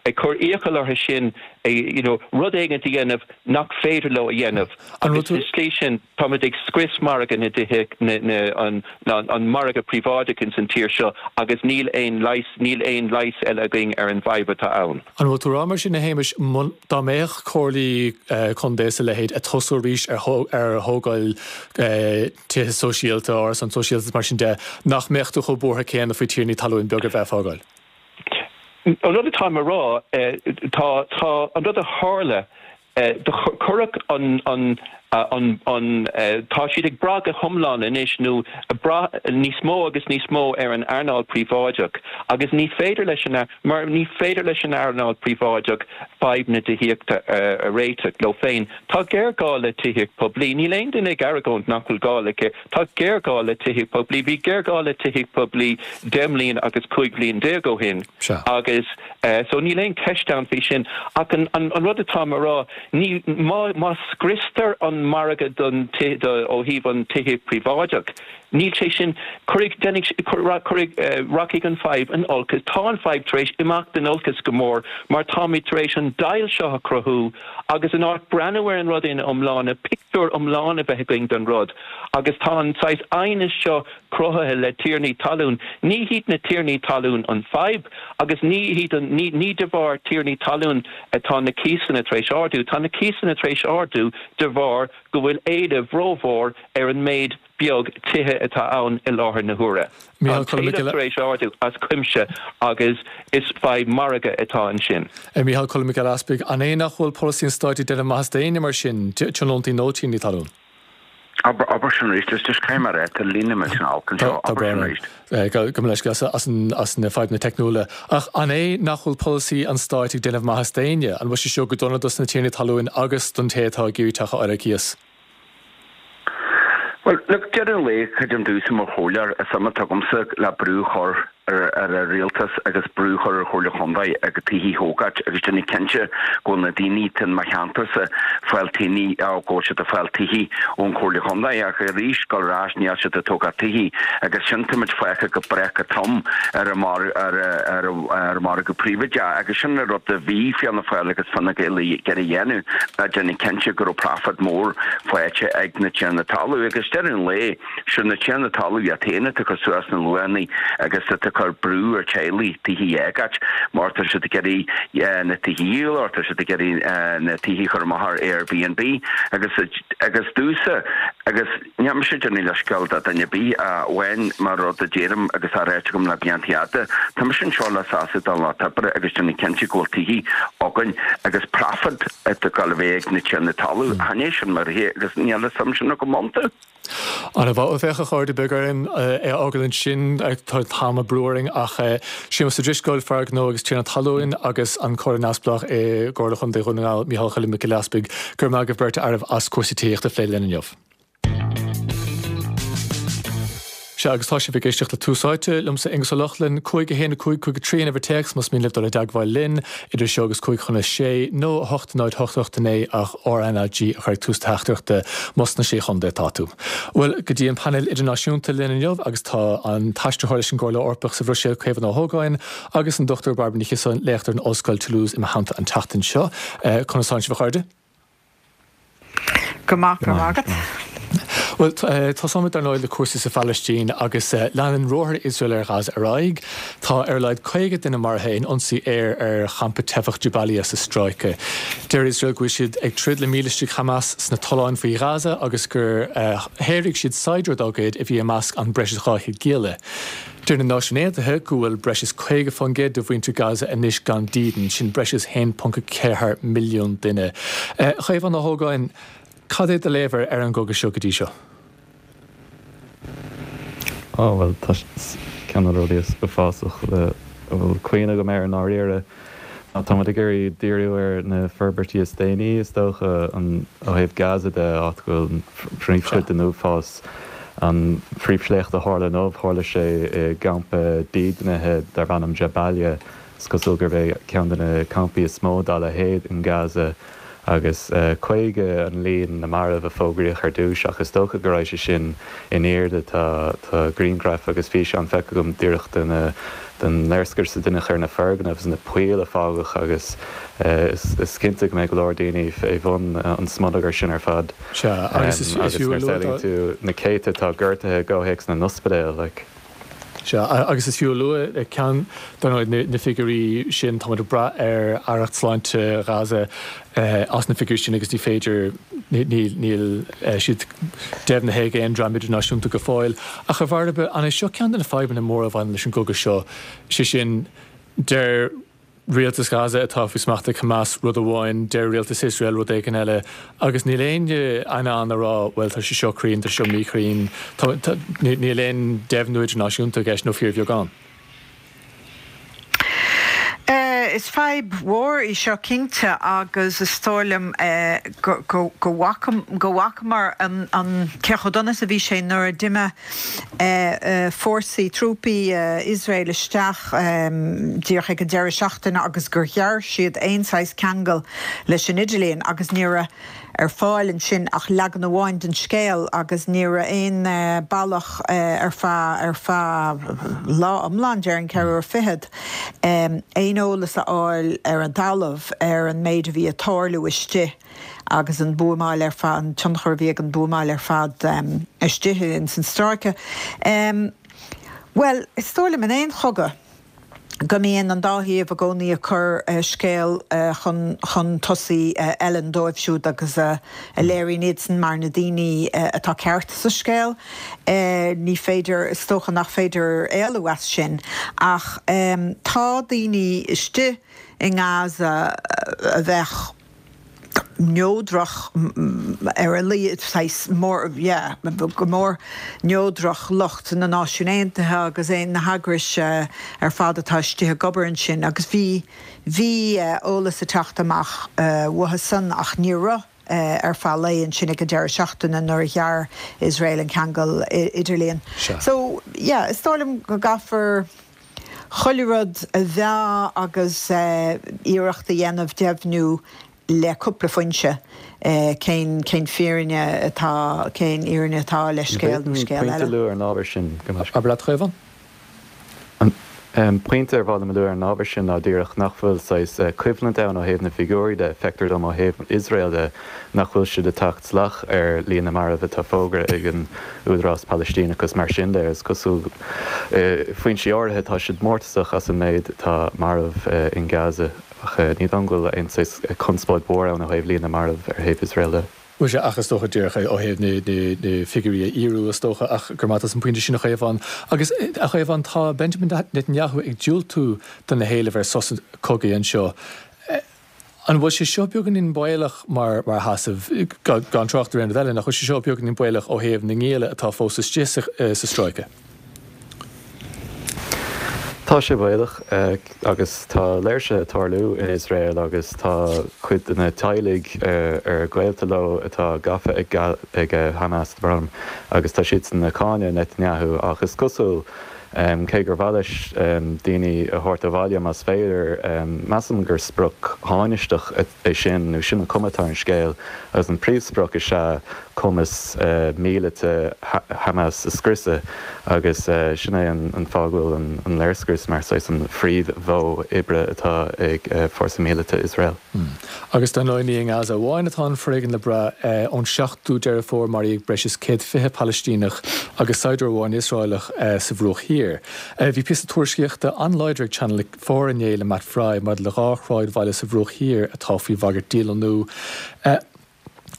ag cur iachall orthu sin you know rud éigin a dhéanamh nach féidir leo a dhéanamh agus sa tslí sin táimid ag scrios margadh na dtithe na na an an margadh príobháideach ins an tír seo agus níl aon leigheas níl aon leigheas eile againn ar an bhfadhb atá ann. An bhfuil tú ag rá mar sin a Shéamais dá mbeadh comhairlí contae is a leithéid ag tosú arís ar ar thógáil tithe sóisialta, árasán sóisialta is mar sin de, nach mbeadh tú chomh buartha céanna faoi tiarnaí talún beaga bheith ag fágáil? An rud atáim a rá, tá, tá, an rud a tharla, do cuireadh an, an, an, an, tá siad ag brath go hiomlán anois nó ag brath níos mó agus níos mó ar an earnáil príobháideach agus ní féidir leis an, mar ní féidir leis an earnáil príobháideach fadhb na tithíochta a réiteach leo féin. Tá géarghá le tithíocht poiblí. Níl aon duine ag argóint nach bhfuil gá le, tá géarghá le tithíocht poiblí. Bhí géarghá le tithíocht poiblí deich mbliana agus cúig bhliain déag ó shin agus so níl aon cheist ann faoi sin. Ach an an rud atáim a rá, ní, má, má scriostar an margadh don, do, ó thaobh an tithíocht príobháideach, níl sé sin, cuirfidh, déanfaidh, cuirfidh, rachaidh an fadhb in olcas. Tá an fadhb tar éis imeacht in olcas go mór mar táimid tar éis an deighilt seo a chruthú agus in áit breathnú ar an rud ina iomláine, pictiúr iomlán a bheith againn den rud agus tá an saghas aighneas seo cruthaithe le tiarnaí talún. Ní hiad na tiarnaí talún an fadhb agus ní hiad an, ní, ní de bharr tiarnaí talún atá na cíosanna tar éis ardú. Tá na cíosanna tar éis ardú de bharr go bhfuil éileamh rómhór ar an méid beag tithe atá ann i láthair na huaire. Tá an t-éileamh tar éis ardú as cuimse agus is fadhb margaidh atá ansin. Micheál Choilm Mac Giolla Easpaig, An é nach bhfuil polasaí an stáit ag déanamh maitheas d'éinne mar sin, tionóntaí nó tiarnaí talún? Abair sin arís, is just caithfidh mé a rá, tá líne millteanach olc anseo, abair sin arís. Gabh mo leithscéal as na fadhbanna teicniúla. Ach an é nach bhfuil polasaí an stáit ag déanamh maitheas d'éinne? An bhfuil sé seo go dona dos na tiarnaí talún agus don té atá ag iarraidh teach a fháil ar cíos? Bhuel, look, deireadh an lae, creidim domhsa mar chomhairleoir, is suim atá agamsa le brú a chur ar ar an rialtas agus brú a chur ar Chomhairle Chontae agus tithe a thógáilt agus déanamh cinnte go bhfuil na daoine atá in mo cheantarsa fáil tithe, go bhfuil siad ag fáil tithe ón Chomhairle Chontae ach arís dul ar ais níl siad ag tógáil tithe agus sin táimid fágtha go breá go trom ar an ar ar ar an margadh príobháideach agus sin an rud a bhí Fianna Fáil agus Fine Gael ag iarraidh a dhéanamh ná déanamh cinnte go raibh profit mór faighte ag na tiarnaí talún agus deireadh an lae sin na tiarnaí talún iad féin atá ag cur suas na luachanna agus atá ag cur brú ar teaghlaigh tithe a fhágáilt mar tá siad ag iarraidh na tithe a dhíol or tá siad ag iarraidh na tithe a chur amach ar Airbnb agus agus domhsa agus níl mise ag déanamh leithscéal do dhuine ar bith ach amháin mar rud a deirim agus á ráit agam le blianta fhada, tá mise anseo le sásamh don lucht oibre agus déanamh cinnte go bhfuil tithe againn agus profit atá ag gabháil a bheith ag na tiarnaí talún. Chan é sin mar é agus níl an suim sin agam iontu. Ana mhaith, bheadh a chairde beidh orainn é a fhágáil ansin, tá an t-am ag brú orainn ach Séamus Ó Drisceoil, fear gnó agus tiarna talún agus an Comhairleoir Neamhspleách i gComhairle Chontae Dhún na nGall, Micheál Choilm Mac Giolla Easpaig, go raibh maith agaibh beirt fearaibh as cúrsaí tithíochta a phlé linn inniu. Sea, agus tá sibh ag éisteacht le Tús Áite, liomsa Aengus Ó Lochlainn, cúig a haon a cúig cúig a trí an uimhir téacs más mian libh dul i dteagmháil linn, idir seo agus cúig chun a sé, nó a hocht náid hocht hocht a naoi ach RnaG a chur ag tús do theachtaireachta más sna Sé Chontae atá tú. Bhuel, go dtí an painéal idirnáisiúnta linn inniu agus tá an t-aistritheoir leis an gComhairle Eorpach sa Bhruiséil, Caomhán Ó hÓgáin, agus an Dochtúir Bairbre Ní Chiosáin, léachtóir in Ollscoil Toulouse i mo theannta an tseachtain seo. Conas tánn sibh a chairde? Go maith, go raibh maith agat. Bhuel, tosóimid dar ndóigh le cúrsaí sa Phalaistín agus leanann ruathair Iosrael ar Ghaza ar aghaidh. Tá ar a laghad caoga duine maraithe in ionsaí aeir ar champa teifeach Jabalia sa stráice. Deir Iosrael go bhfuil siad ag troid le mílistigh Hamas sna tolláin faoi Ghaza agus gur shaothraigh siad saighdiúir dá gcuid a bhí i measc an breis is dhá chéad gialla. Deir na Náisiúin Aontaithe go bhfuil breis is caoga faoin gcéad de mhuintir Gaza anois gan dídean, sin breis is a haon ponc ceathair milliún duine. A Chaomháin Ó hÓgáin, cad é do léamh ar an gcogadh seo go dtí seo? Á, bhuel, tá ceann de na rudaí is uafásach a bhfuil cuimhne agam air i ndáiríre. Táimid ag iarraidh díriú ar na forbairtí is déanaí, is dócha, ó thaobh Gaza de, áit go bhfuil an phríomhchuid den uafás. An phríomhshléacht a tharla inniu, tharla sé i gcampa dídeanaithe darb ainm Jabalia. Is cosúil gurb é ceann de na campaí is mó dá leithéid in Gaza. Agus caoga an líon na marbh a fógraíodh ar dtús ach is dócha go raibh sé sin in airde. Tá tá grianghraif agus físeáin feicthe agam díreach de na den léirscrios a deineadh ar na foirgnimh agus na poill a fágadh agus is is cinnte go mbeidh go leor daoine fé bhun an smionagair sin ar fad. Sea, agus is Agus fiú a nuair a lua samhlaíonn tú na céadta atá gortaithe i gcomhthéacs na n-ospidéal, like. Sea, agus is fiú a lua ceann, dar ndóigh, na figiúirí sin, táimid ag brath ar Aireacht Sláinte Ghaza as na figiúirí sin agus ní féidir, níl siad deimhnithe ag aon dream idirnáisiúnta go fóill. Ach a Bhairbre, an é seo ceann de na fadhbanna móra a bhaineann leis an gcogadh seo, sé sin, deir Rialtas Ghaza atá faoi smacht ag Hamas rud amháin, deir rialtas Iosrael rud éigin eile agus níl éinne in ann a rá bhuel tá sé seo cruinn, tá sé seo míchruinn, níl aon deimhniú idirnáisiúnta i gceist nó fíorbheagán. Is fadhb mhór í seo cinnte agus is dóigh liom go bhfacamar an cé chomh dona is a bhí sé nuair a d'imigh fórsaí, trúpaí Iosrael isteach díreach ag an deireadh seachtaine agus gur ghearr siad aon saghas ceangal leis an idirlíon agus ní raibh ar fáil ansin ach leagan amháin den scéal agus ní raibh aon bealach ar feadh ar feadh lá iomlán, déarfainn ceithre uair fichead, aon eolas a fháil ar an talamh ar an méid a bhí ag tarlú istigh agus an buamáil ar fad, an tionchar a bhí ag an buamáil ar fad istigh ins an stráice. Bhuel, is dóigh liom in aon chogadh go mbíonn an dá thaobh i gcónaí ag cur scéal chun chun tosaigh a fheileann dóibh siúd agus a léiríonn iadsan mar na daoine atá ceart sa scéal. Ní féidir, is dócha nach féidir éalú as sin ach tá daoine istigh i nGaza a bheadh neodrach ar a laghad, saghas mór, yeah, go mór neodrach, lucht na Náisiún Aontaithe agus aon na heagrais ar fad atá istigh ag obair ansin agus bhí, bhí eolas ag teacht amach uathu san ach ní raibh ar feadh lae ansin ag an deireadh seachtaine nuair a ghearr Iosrael an ceangal idirlíon. So, yeah, is dóigh liom go gcaithfear chuile rud a mheá agus iarracht a dhéanamh deimhniú le cúpla foinse cén cén fírinne atá, cén fhírinne atá le scéal nó An scéal pointe a eile. lua ar an ábhar sin, go mbeadh. Abair leat, a Chaomháin. An pointe ar mhaith liom a lua ar an ábhar sin ná díreach nach bhfuil saghas coimhlint ann ó thaobh na bhfigiúirí de, feictear dom ó thaobh Iosrael de nach bhfuil siad ag teacht salach ar líon na marbh atá fógartha ag an Údarás Palaistíneach agus mar sin de. Is cosúil, foinsí áirithe, tá siad mórtasach as an méid atá marbh in Gaza ach ní dóigh liom go bhfuil aon saghas conspóid mhór ann ó thaobh líon na marbh ar thaobh Iosrael de. Bhuel sea, ach is dócha díreach ó thaobh na figiúirí a fhíorú, is dócha, ach go raibh maith agat as an bpointe sin, a Chaomháin. Agus, a Chaomháin, tá Benjamin Netanyahu ag diúltú do na héilimh ar sos cogaidh anseo. An bhfuil sé seo beagáinín baolach mar mar sheasamh, gan trácht ar aon rud eile, nach bhfuil sé seo beagáinín baolach ó thaobh na ngialla atá fós istigh sa stráice? Tá sé baolach agus tá léirsithe ag tarlú in Iosrael agus tá cuid de na teaghlaigh ar gaolta leo atá gafa ag Hamas agus tá siadsan ag cáineadh Netanyahu ach is cosúil, cé gur mhaith leis daoine a thabhairt abhaile más féidir, measaim gur sprioc thánaisteach é sin nó sin an chuma atá ar an scéal agus an príomhsprioc is ea cumas míleata Hamas a scriosadh agus sin é an fáth go bhfuil an léirscrios mar saghas an phríomh-mhodh oibre atá ag fórsa míleata Iosrael. Agus dar ndóigh ní i nGaza amháin atá an foréigean le brath. Ón seachtú Deireadh Fómhair maraíodh breis is céad fiche Palaistíneach agus saighdiúir amháin Iosraelach sa Bhruach Thiar. Bhí píosa tuairiscíochta an-láidir ag Channel Four inné le Matt Frei maidir le dhá shráidbhaile sa Bhruach Thiar atá faoi bhagairt dílonnú.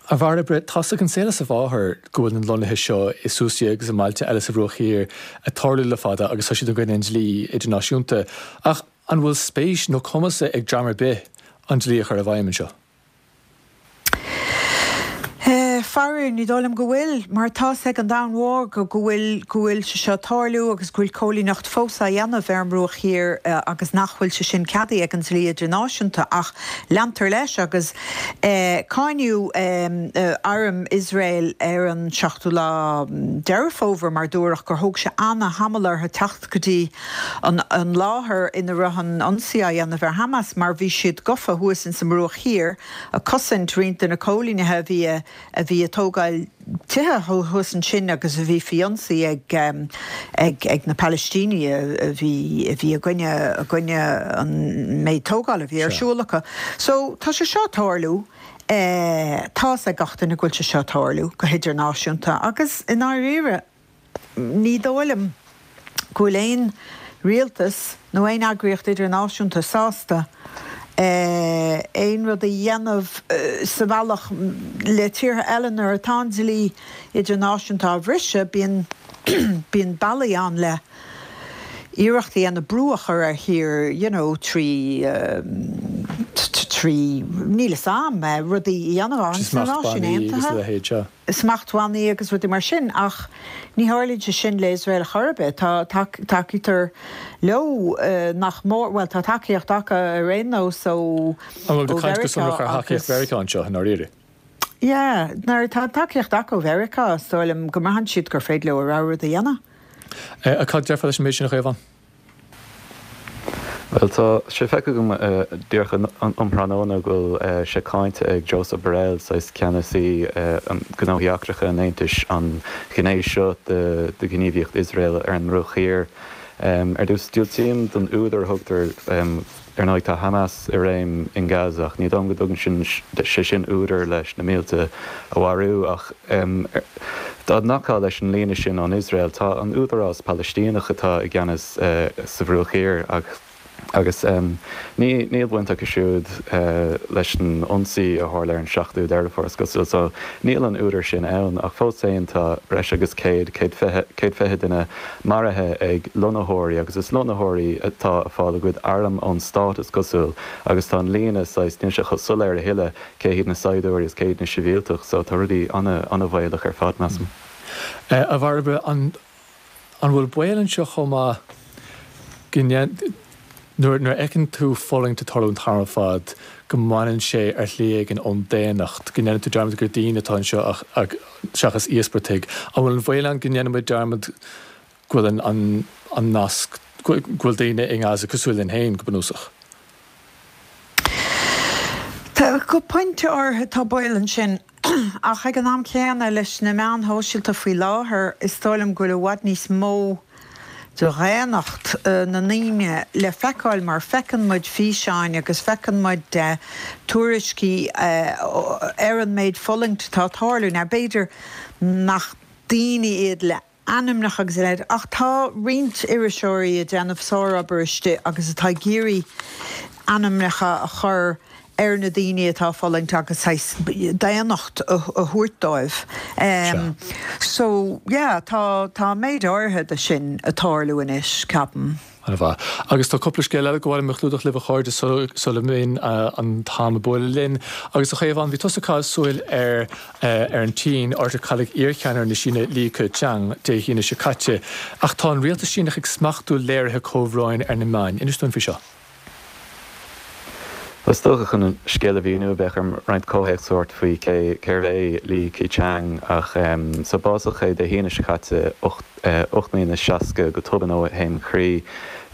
A Bhairbre, tá's ag an saol is a mháthair go bhfuil na lonnaithe seo i Susya agus i mbailte eile sa Bhruach Thiar ag tarlú le fada agus tá siad i gcoinne an dlí idirnáisiúnta. Ach an bhfuil spéis nó cumas ag dream ar bith an dlí a chur i bhfeidhm anseo? Faraor, ní dóigh liom go bhfuil, mar tá's ag an domhan mhór go go bhfuil go bhfuil sé seo ag tarlú agus go bhfuil cóilíneacht fós á dhéanamh ar an mBruach Thiar agus nach bhfuil sé sin ceadaithe ag an dlí idirnáisiúnta ach leantar leis agus cáineadh arm Iosrael ar an seachtú lá Deireadh Fómhair mar dúradh gur thóg sé ana-thamall orthu teacht go dtí an an láthair ina raibh an ionsaí á dhéanamh ar Hamas mar bhí siad gafa thuas ins an mBruach Thiar ag cosaint roinnt de na cóilínithe a bhí a bhí ag tógáil tithe thuas ansin agus a bhí faoi ionsaí ag ag ag na Palaistínigh a bhí a bhí i gcoinne i gcoinne an méid tógála a bhí ar siúl acu. So tá sé seo ag tarlú. Tá's ag gach duine go bhfuil sé seo ag tarlú go hidirnáisiúnta agus i ndáiríre ní dóigh liom go bhfuil aon rialtas nó aon eagraíocht idirnáisiúnta sásta aon rud a dhéanamh sa bhealach le tíortha eile nuair atá an dlí idirnáisiúnta á bhriseadh, bíonn bíonn bealaí ann le iarracht a dhéanamh brú a chur ar thír you know trí trí níl 'fhios a'm rudaí a dhéanamh Trí sna Náisiúin smachtbhannaí agus a Aontaithe. leithéid, sea. smachtbhannaí agus rudaí mar sin ach ní tharlaíonn sé sin le Iosrael chor ar bith. Tá tacaítear leo nach mór, bhuel tá tacaíocht acu ar aon nós ó An bhfuil tú ag caint go Mheiriceá sonrach ar thacaíocht agus. Mheiriceá anseo i ndáiríre? Yeah, nuair atá tacaíocht acu ó Mheiriceá is dóigh liom go mbraitheann siad gur féidir leo a rogha rud a dhéanamh. Cad déarfá leis an méid sin a Chaomháin? Bhuel, tá sé feicthe agam díreach um thráthnóna go bhfuil sé cáinte ag Josep Borrell, saghas ceannasaí gnóthaí eachtracha an Aontais, an ghné seo de ghníomhaíocht Iosrael ar an mBruach Thiar. Ar dtús, diúltaím don údar a thugtar. Ar ndóigh, tá Hamas i réim in Gaza ach ní dóigh liom go dtugann sin sé sin údar leis na mílte a mharú. Ach dá nglacfá leis an líne sin ón Iosrael, tá an Údarás Palaistíneach atá i gceannas sa Bhruach Thiar ach Agus ní níl baint acu siúd leis an ionsaí a tharla ar an seachtú Deireadh Fómhair, is cosúil, so níl an údar sin ann. Ach fós féin tá breis agus céad, céad fiche, céad fiche duine maraithe ag lonnaitheoirí, agus is lonnaitheoirí atá ag fáil a gcuid arm ón stát, is cosúil, agus tá an líne saghas, níl sé chomh soiléir a thuilleadh cé hiad na saighdiúirí is cé hiad na sibhialtaigh, so tá rudaí an-an-bhaolach ar fad, measaim. A Bhairbre, an An bhfuil baol anseo chomh maith go nuair nuair a fheiceann tú fulaingt ag tarlú an t-am ar fad go mbaineann sé ar shlí éigin ón daonnacht, go ndéanann tú dearmad gur daoine atá anseo ach seachas íospartaigh. An bhfuil an baol ann go ndéanann muid dearmad go bhfuil an an nasc, go bhfuil daoine i nGaza cosúil linn féin go bunúsach? Tá, go pointe áirithe tá baol ansin, ach ag an am céanna, leis na meáin shóisialta faoi láthair, is dóigh liom go bhfuil i bhfad níos mó de dhaonnacht na ndaoine le feiceáil mar feiceann muid físeáin agus feiceann muid tuairiscí ar an méid fulaingt atá ag tarlú. Now b'fhéidir nach daoine iad le ainmneacha agus a leithéid, ach tá roinnt iriseoirí ag déanamh sárobair istigh agus atá ag iarraidh ainmneacha a chur ar na daoine atá ag fulaingt agus saghas daonnacht a thabhairt dóibh. So, yeah, tá tá méid áirithe de sin ag tarlú anois, ceapaim. An-mhaith. Agus tá cúpla scéal eile gur mhaith liom a chlúdach libh a chairde sula mbíonn an t-am ag bualadh linn. Agus a Chaomháin, bhí tusa ag caitheamh súil ar ar an tSín, áit ar cailleadh iarcheannaire na Síne Li Keqiang Dé hAoine seo caite. Ach tá an rialtas Síneach ag smachtú léirithe comhbhróin ar na meáin. Inis dúinn faoi seo. Bhuel, is dócha chun an scéal a mhíniú, bheadh orm roinnt comhthéacs a thabhairt faoi cé cérbh é Li Keqiang ach so básaíodh é Dé hAoine seo caite, ocht mbliana is seasca, go tobann ó thaom croí.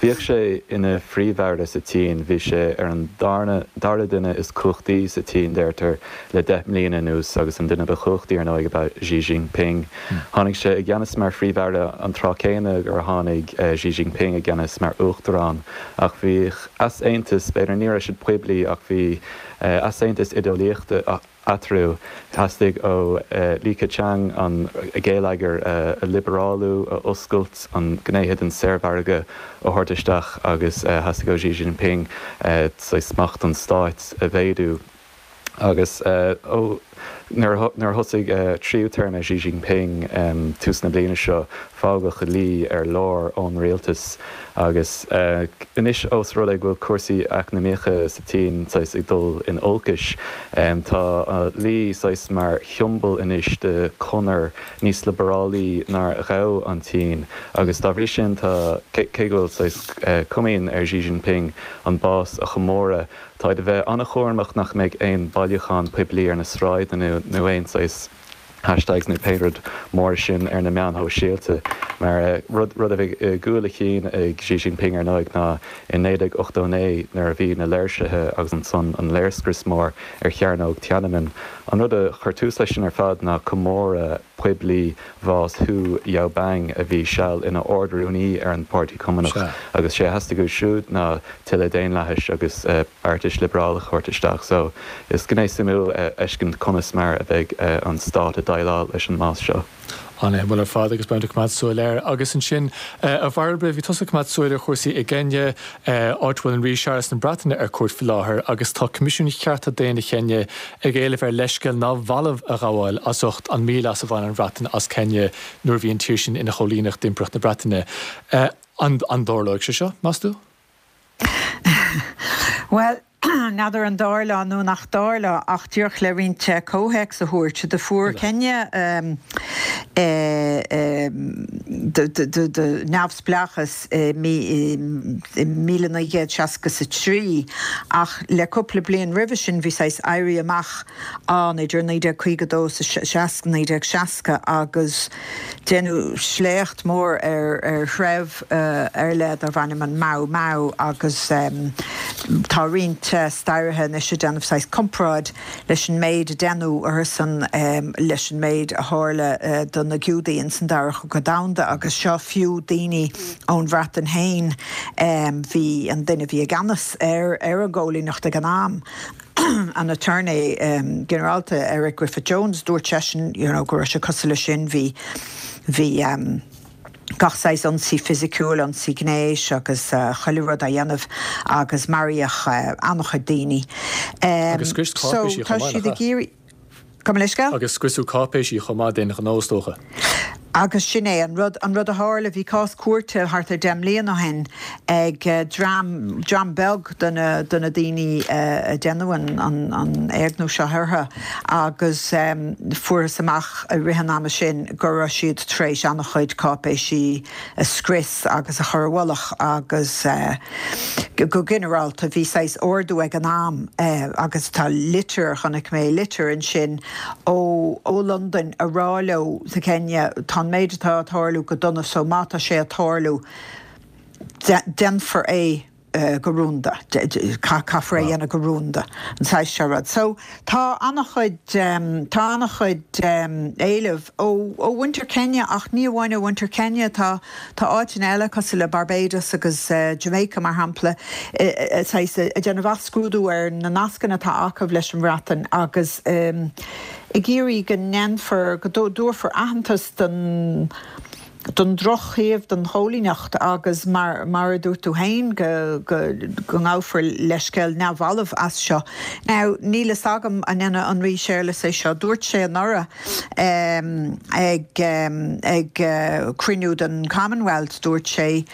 Bhíodh sé ina phríomh-aire sa tSín, bhí sé ar an darna dara duine is cumhachtaí sa tSín, deirtear, le deich mbliana anuas agus an duine ba chumhachtaí ar ndóigh ab ea Xi Jinping. Tháinig sé i gceannas mar phríomh-aire an tráth céanna gur tháinig Xi Jinping i gceannas mar uachtarán ach bhíodh easaontas, b'fhéidir ní raibh siad poiblí ach bhí easaontas idéolaíochta eatarthu. Theastaigh ó Li Keqiang an geilleagar a liobrálú, a oscailt, an gnéithe den saormhargadh a thabhairt isteach agus theastaigh ó Xi Jinping saghas smacht an stáit a mhéadú. Agus ó Nuair a thosaigh tríú téarma Xi Jinping tús na bliana seo, fágadh Li ar lár ón rialtas agus anois ós rud é go bhfuil cúrsaí eacnamaíocha sa tSín saghas ag dul in olcais, tá Li saghas mar shiombail anois de chonair níos liobarálaí nár ghabh an tSín agus dá bhrí sin tá, cé go bhfuil saghas comaoin ar Xi Jinping an bás a chomóradh, Táid a bheith an-chúramach nach mbeidh aon bhailiúchán poiblí ar na sráideanna nó aon saghas hashtags nó pé rud mór sin ar na meáin shóisialta. Mar rud rud a bhí i gcúl a chinn ag Xi Jinping ar ndóigh ná i naoi déag ochtó naoi nuair a bhí na léirsithe agus ansan an léirscrios mór ar Chearnóg Tiananmen. An rud a chuir tús leis sin ar fad ná comóradh poiblí bhás Hu Yaobang a bhí seal ina Ard-Rúnaí ar an bPáirtí Cumannach agus sé a theastaigh uaidh siúd ná tuilleadh daonlathais agus beartais liobrálach a thabhairt isteach. So is gné suimiúil a fheiscint conas mar a bheidh an stát ag déileáil leis an mbás seo. An-shuimiúil ar fad agus beimid ag coimeád súil air. Agus ansin, a Bhairbre, bhí tusa ag coimeád súil ar chúrsaí i gCeiniá, áit a bhfuil an Rí Séarlas na Breataine ar cuairt faoi láthair agus tá Coimisiún Chearta Daonna Cheiniá ag éileamh air leithscéal neamhbhalbh a ghabháil as ucht an míleas a bhain an Bhreatain as Ceiniá nuair a bhí an tír sin ina choilíneacht d'Impireacht na Breataine. An dtarlóidh sé seo, meas tú? Bhuel, n'fheadar an dtarlóidh nó nach dtarlóidh ach díreach le roinnt comhthéacs a thabhairt, do fuair Kenya neamhspleáchas i míle naoi gcéad seasca is a trí ach le cúpla bliain roimhe sin bhí saghas éirí amach ann idir naoi déag caoga dó is naoi déag seasca agus deineadh sléacht mór ar threibh ar leith darbh ainm an Mau Mau agus tá roinnt staraithe anois ag déanamh saghas comparáid leis an méid a deineadh orthusan leis an méid a tharla do na Giúdaigh ins an Dara Cogadh Domhanda agus seo fiú daoine ón Bhreatain féin bhí an duine a bhí i gceannas ar ar an gcóilíneacht ag an am an Aturnae Ginearálta Eric Griffith Jones dúirt seisean you know go raibh sé cosúil leis sin bhí bhí gach saghas ionsaí fisiciúil, ionsaí gnéis agus chuile rud á dhéanamh agus maraíodh an-chuid daoine. Agus scrios So cáipéisí tá chomh maith, siad nach ag ea? iarraidh. Gabh mo leithscéal? Agus scriosadh cáipéisí chomh maith d'aon ghnó, is dócha. Agus sin é an rud, an rud a tharla, bhí cás cúirte thart ar deich mbliana ó shin ag dream, dream beag de na, de na daoine a deineadh an, an, an éigniú seo orthu agus fuarthas amach i rith an ama sin go raibh siad tar éis an-chuid cáipéisí a scrios agus a chur i bhfolach agus go ginearálta bhí saghas ordú ag an am agus tá litir, chonaic mé litir ansin ó ó Londain a rá leo sa Kenya tá an méid atá ag tarlú go dona so má tá sé ag tarlú déanfar é go rúnda, caithfear é a dhéanamh go rúnda, an saghas seo rud. So tá an-chuid, tá an-chuid éileamh ó ó mhuintir Kenya ach ní amháin ó mhuintir Kenya, tá tá áiteanna eile cosúil le Barbados agus Jamaica mar shampla saghas ag déanamh athscrúdú ar na nascanna atá acu leis an Bhreatain agus ag iarraidh go ndéanfar, go dtabharfar aitheantas don don drochthaobh den chóilíneacht agus mar mar a dúirt tú féin go go go ngabhfar leithscéal neamhbhalbh as seo. Now níl fhios agam an ndéanfaidh an Rí Séarlas é seo. Dúirt sé anuraidh ag ag cruinniú den Commonwealth dúirt sé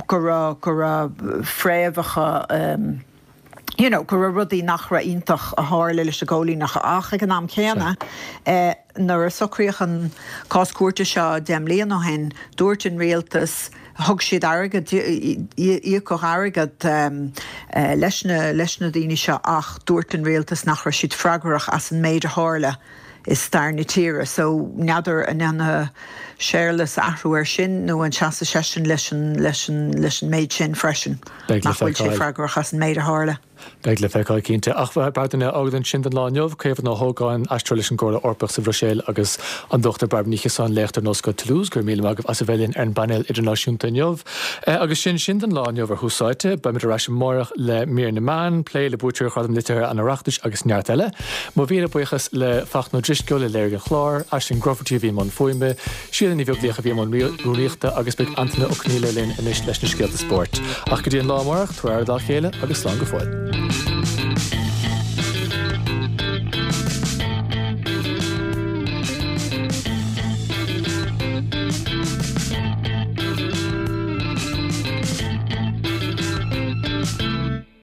go raibh go raibh fréamhacha you know go raibh rudaí nach raibh iontach a tharla leis an gcóilíneacht ach ag an am céanna nuair a socraíodh an cás cúirte seo deich mbliana ó shin dúirt an rialtas thug siad airgead íocadh airgead leis na leis na daoine seo ach dúirt an rialtas nach raibh siad freagrach as an méid a tharla i stair na tíre. So n'fheadar an ndéanfaidh Séarlas athrú air sin nó an seasfaidh seisean leis an leis an leis an méid sin freisin, Beidh le nach bhfuil sé feiceáil. freagrach as an méid a tharla. Beidh le feiceáil cinnte. Ach Bairbre, fágfaimid ansin don lá inniu, Caomhán Ó hÓgáin, aisteoir leis an gComhairle Eorpach sa Bhruiséil agus an Dochtúir Bairbre Ní Chiosáin, léachtóir in Ollscoil Toulouse, go raibh míle maith agaibh as a bheith linn ar an bpainéal idirnáisiúnta inniu. Agus sin sin don lá inniu ar Thús Áite. Beimid ar ais amárach le Mír na Meán, plé le buaiteoirí Ghradam Liteartha an Oireachtais agus neart eile. Mo mhíle buíochas le Fachtna Ó Drisceoil a léirigh an clár, Aisling Grufferty a bhí i mbun fuaime, Síle Ní Bheaglaoich a bhí i mbun rúnaíochta agus beidh Antaine Ó Conghaile linn anois leis na scéalta spóirt. Ach go dtí an lá amárach, tabhair aire dá chéile agus slán go fóill.